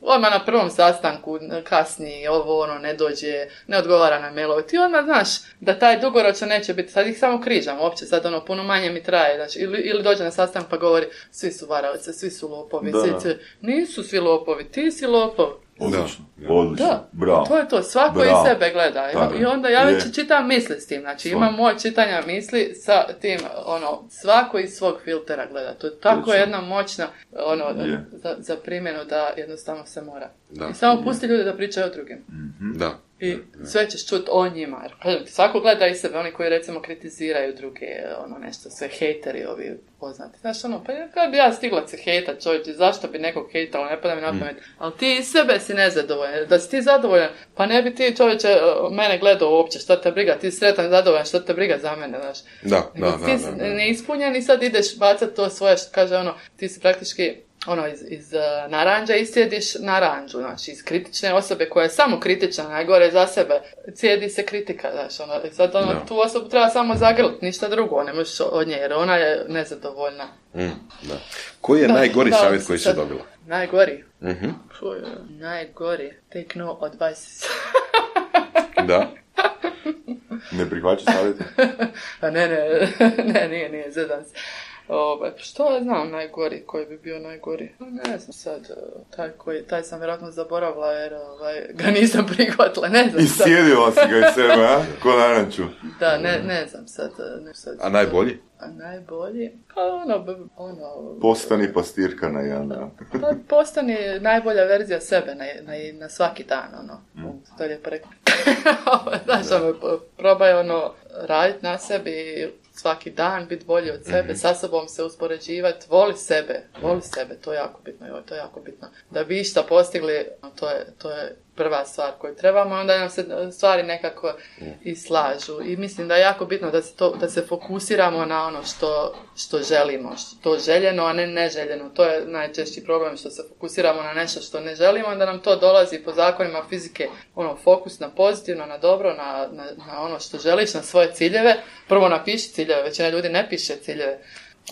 odmah na prvom sastanku, kasni, ovo, ono, ne dođe, ne odgovara na mailove, ti odmah znaš da taj dugoročno neće biti, sad ih samo križam, uopće sad, ono, puno manje mi traje, znači, ili, ili dođe na sastanak pa govori, svi su varavce, svi su lopovi, svi, svi, nisu svi lopovi, ti si lopov. Odlično, odlično, da, bravo. To je to, svako bravo. Iz sebe gleda. I, i onda ja već je. čitam misli s tim, znači Svom. imam moje čitanja misli sa tim, ono, svako iz svog filtera gleda. To je tako Točno. jedna moćna, ono, za, za primjenu da jednostavno se mora. Da. I samo pusti ljude da pričaju o drugim. Mm-hmm. Da. I sve ćeš čuti o njima. Svako gleda iz sebe, oni koji recimo kritiziraju druge, ono nešto, sve hejteri ovi poznati. Znaš, ono, pa kada bi ja stigla se hejtat, čovječe, zašto bi nekog hejtalo, ne pada mi na pamet. Mm. Ali ti iz sebe si nezadovoljan. Da si ti zadovoljan, pa ne bi ti, čovječe, mene gledao uopće, što te briga, ti si sretan, zadovoljan, što te briga za mene, znaš. Da, da, da, ti da, da. neispunjen i sad ideš bacat to svoje, što kaže ono, ti si praktički ono, iz, iz uh, naranđa iscijediš naranđu, znači iz kritične osobe koja je samo kritična, najgore za sebe, cijedi se kritika, znači, ono, sad ono, no. tu osobu treba samo zagrliti, ništa drugo, ne možeš od nje, jer ona je nezadovoljna. Mm, da. Koji je da, najgori da, savjet koji si dobila? Najgori? Mm-hmm. Fuj, najgori, take no advice. Da. Ne prihvaća savjeti? ne, ne, ne, nije, nije, zedam se. Ovaj, što ja znam najgori, koji bi bio najgori? Ne znam sad, taj, koji, taj sam vjerojatno zaboravila jer ovaj, ga nisam prihvatila, ne znam sad. Iscijedila si ga iz sebe, a? Ko naranču. Da, ne, ne znam sad. Ne, sad a najbolji? A najbolji? Pa ono, ono... Postani pastirka na Jana. Pa postani najbolja verzija sebe na, na, na svaki dan, ono. Mm. To je lijepo rekao. Znaš, ono, probaj ono, raditi na sebi svaki dan, biti bolji od sebe, mm-hmm. sa sobom se uspoređivati, voli sebe, voli sebe, to je jako bitno, joj, to je jako bitno. Da bi išta postigli, to je, to je prva stvar koju trebamo, onda nam se stvari nekako i slažu. I mislim da je jako bitno da se, to, da se fokusiramo na ono što, što želimo, što to željeno, a ne neželjeno. To je najčešći problem, što se fokusiramo na nešto što ne želimo, onda nam to dolazi po zakonima fizike, ono, fokus na pozitivno, na dobro, na, na, na ono što želiš, na svoje ciljeve. Prvo napiši ciljeve, većina ljudi ne piše ciljeve.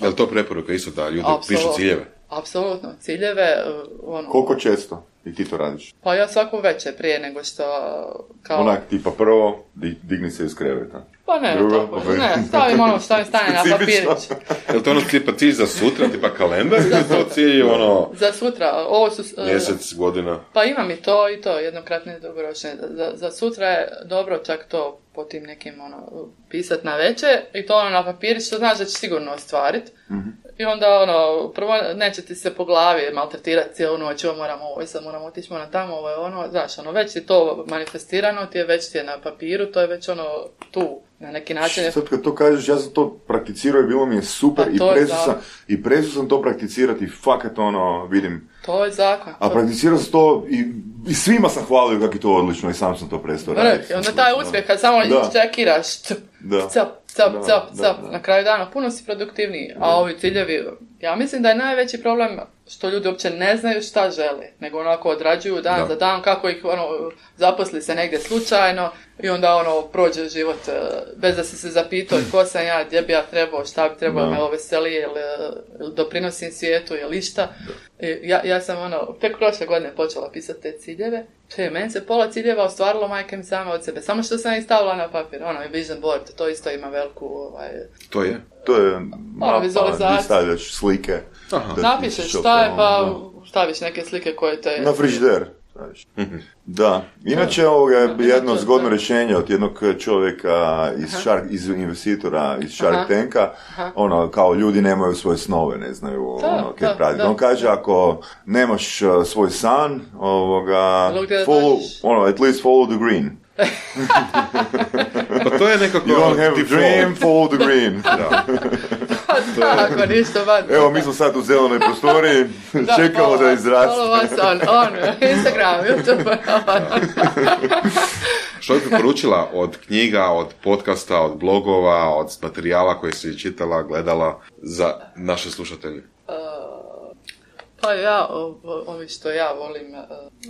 Je li to preporuka isto da ljudi Absolutno. pišu ciljeve? Apsolutno, ciljeve, ono... Koliko često i ti to radiš? Pa ja svako večer prije nego što... Kao... Onak, tipa prvo, digni se iz kreveta. Pa ne, Drugo, tako, opet. ne, stavim ono što mi stane na papirić. Je li to ono tipa cilj za sutra, tipa kalendar, ili to cilj ono... Za sutra, ovo su... Mjesec, godina? Pa imam i to i to, jednokratne i dugoročne. Za, za sutra je dobro čak to po tim nekim, ono, pisat na večer i to ono na papirić, što znaš da će sigurno ostvariti. Mm-hmm. I onda, ono, prvo neće ti se po glavi maltretirati cijelu noć, ovo moram ovo, sad moram otići, moram tamo, ovo je ono, znaš, ono, već je to manifestirano, ti je već ti je na papiru, to je već ono tu, na neki način. Sad kad to kažeš, ja sam to prakticirao i bilo mi je super i presu sam, i presu sam to prakticirati, fakat ono, vidim. To je zakon. A prakticirao sam to i, i svima sam hvalio kako je to odlično i sam sam to prestao raditi. Onda taj uspjeh, kad samo čekiraš, cap, cap, cap, cap, na kraju dana, puno si produktivniji, a ovi ciljevi, ja mislim da je najveći problem što ljudi uopće ne znaju šta žele, nego onako odrađuju dan da. za dan, kako ih ono, zaposli se negdje slučajno i onda ono prođe život bez da si se zapitao ko sam ja, gdje bi ja trebao, šta bi trebao, me ovo veseli, ili, ili doprinosim svijetu, ili išta. Ja, ja sam ono, tek prošle godine počela pisati te ciljeve. Če, meni se pola ciljeva ostvarilo majke mi same od sebe. Samo što sam ih stavila na papir. Ono, vision board, to isto ima veliku... Ovaj, to je? To je mapa, gdje stavljaš slike. Napišeš šta je, pa staviš neke slike koje te... Na frižider. Da. Inače, ovoga je jedno zgodno rješenje od jednog čovjeka iz, Shark, iz investitora iz Shark Aha. Tanka. Aha. Ono, kao ljudi nemaju svoje snove, ne znaju da, ono, kaj pravi. On kaže, ako nemaš uh, svoj san, ovoga, follow, ono, at least follow the green. Pa to je nekako... You don't have a dream, follow the green. Da. da, ako ništa van. Evo, mi smo sad u zelenoj prostoriji, da, čekamo follow, da izraste. Follow vas on, on, Instagram, YouTube. Što bi poručila od knjiga, od podcasta, od blogova, od materijala koje si čitala, gledala za naše slušatelje? Pa ja, ovi što ja volim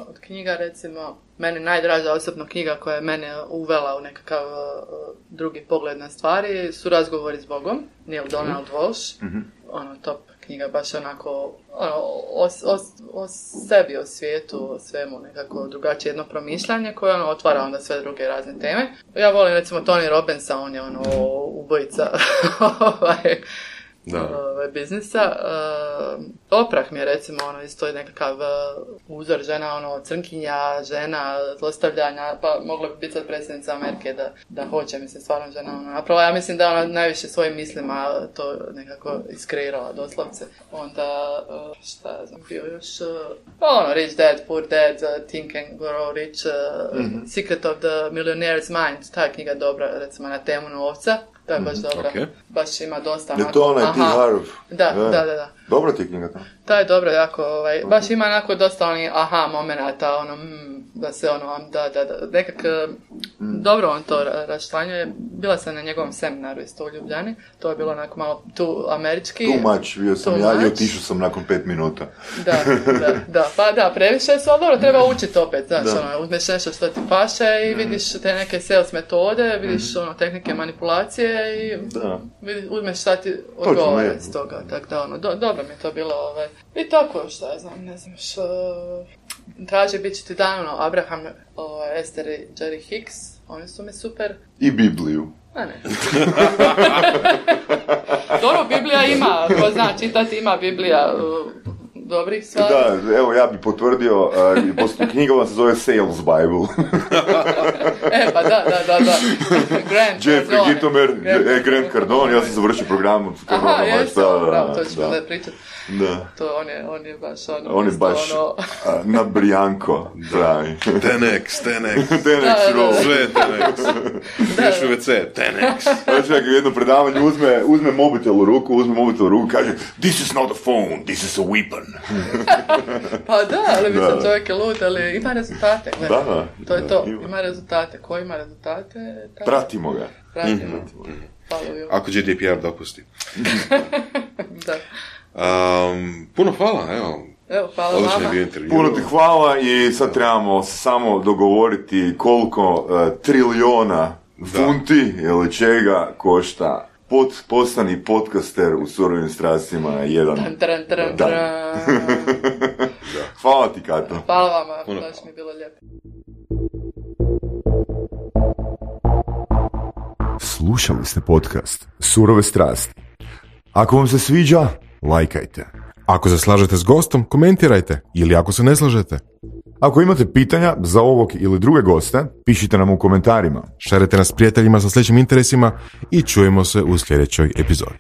od knjiga, recimo, meni najdraža osobno knjiga koja je mene uvela u nekakav drugi pogled na stvari su Razgovori s Bogom, Neil Donald Walsh, mm-hmm. ono, top knjiga, baš onako, ono, o, o, o sebi, o svijetu, o svemu, nekako drugačije jedno promišljanje koje ono otvara onda sve druge razne teme. Ja volim recimo Tony Robbinsa, on je ono ubojica ovaj, Ove, biznisa. Uh, Oprah mi je recimo ono isto je nekakav uh, uzor, žena ono crnkinja, žena zlostavljanja, pa mogla bi biti sad predsjednica Amerike da, da hoće, mislim stvarno žena ono napravo. Ja mislim da ona najviše svojim mislima to nekako iskreirala doslovce. Onda uh, šta ja znam, bio još uh, ono Rich Dad, Poor Dad, uh, Think and Grow Rich, uh, mm-hmm. Secret of the Millionaire's Mind, ta knjiga dobra recimo na temu novca. To je baš mm, dobra. Okay. Baš ima dosta. Je to onaj T. Harv? Da, da, da, da. Dobra ti knjiga to? To je dobro, jako, ovaj, okay. Baš ima onako dosta onih aha momenata, ono, mm, da se ono, da, da, da, nekak, mm. dobro on to raščlanjuje. Bila sam na njegovom seminaru isto u Ljubljani, to je bilo onako malo tu američki. Too much, bio sam ja much. I otišao sam nakon pet minuta. Da, da, da, pa da, previše su, ali dobro, treba učiti opet, znaš, ono, uzmeš nešto što ti paše i mm. vidiš te neke sales metode, vidiš, mm. ono, tehnike manipulacije i vidiš, uzmeš šta ti odgovara s toga, tako da, ono, do, dobro mi je to bilo, ovaj, i tako, šta ja znam, ne znam, što, traži bit će ti dan, ono, Abraham, ovaj, Esther i Jerry Hicks, oni su mi super. I Bibliju. A ne. Dobro, Biblija ima, ko zna čitati, ima Biblija uh, dobrih stvari. Da, evo ja bi potvrdio, uh, knjiga vam se zove Sales Bible. E, pa da, da, da, da. Grant Jeffrey Gitomer, Grant, Grant Cardone, ja sam završio program od Cardona. Aha, jesam, da, bravo, to ćemo da, da pričati. Da. To on je, on je baš ono... On je baš ono... a, na Brijanko, pravi. Tenex, Tenex. Tenex roll. Sve Tenex. Još u ve ce, Tenex. Znači, ako jedno predavanje uzme, uzme mobitel u ruku, uzme mobitel u ruku, kaže this is not a phone, this is a weapon. Pa da, ali mislim čovjek je lud, ali ima rezultate. Da, da. To je to, ima, ima rezultate. Ko ima rezultate? Ta... Pratimo ga. Pratimo. Mm-hmm. Ako G D P R dopusti. Da. Um, puno hvala, evo. Evo, hvala vama. Puno ti hvala i sad trebamo samo dogovoriti koliko uh, trilijona funti ili čega košta pod, postani podcaster u Surovim strastima jedan. Tran, tran, tran, tran. Hvala ti, Kato. Hvala vama, puno baš mi je bilo lijepo. Slušali ste podcast Surove strasti. Ako vam se sviđa, lajkajte. Ako se slažete s gostom, komentirajte. Ili ako se ne slažete. Ako imate pitanja za ovog ili druge goste, pišite nam u komentarima. Šarite nas prijateljima sa sličnim interesima i čujemo se u sljedećoj epizodi.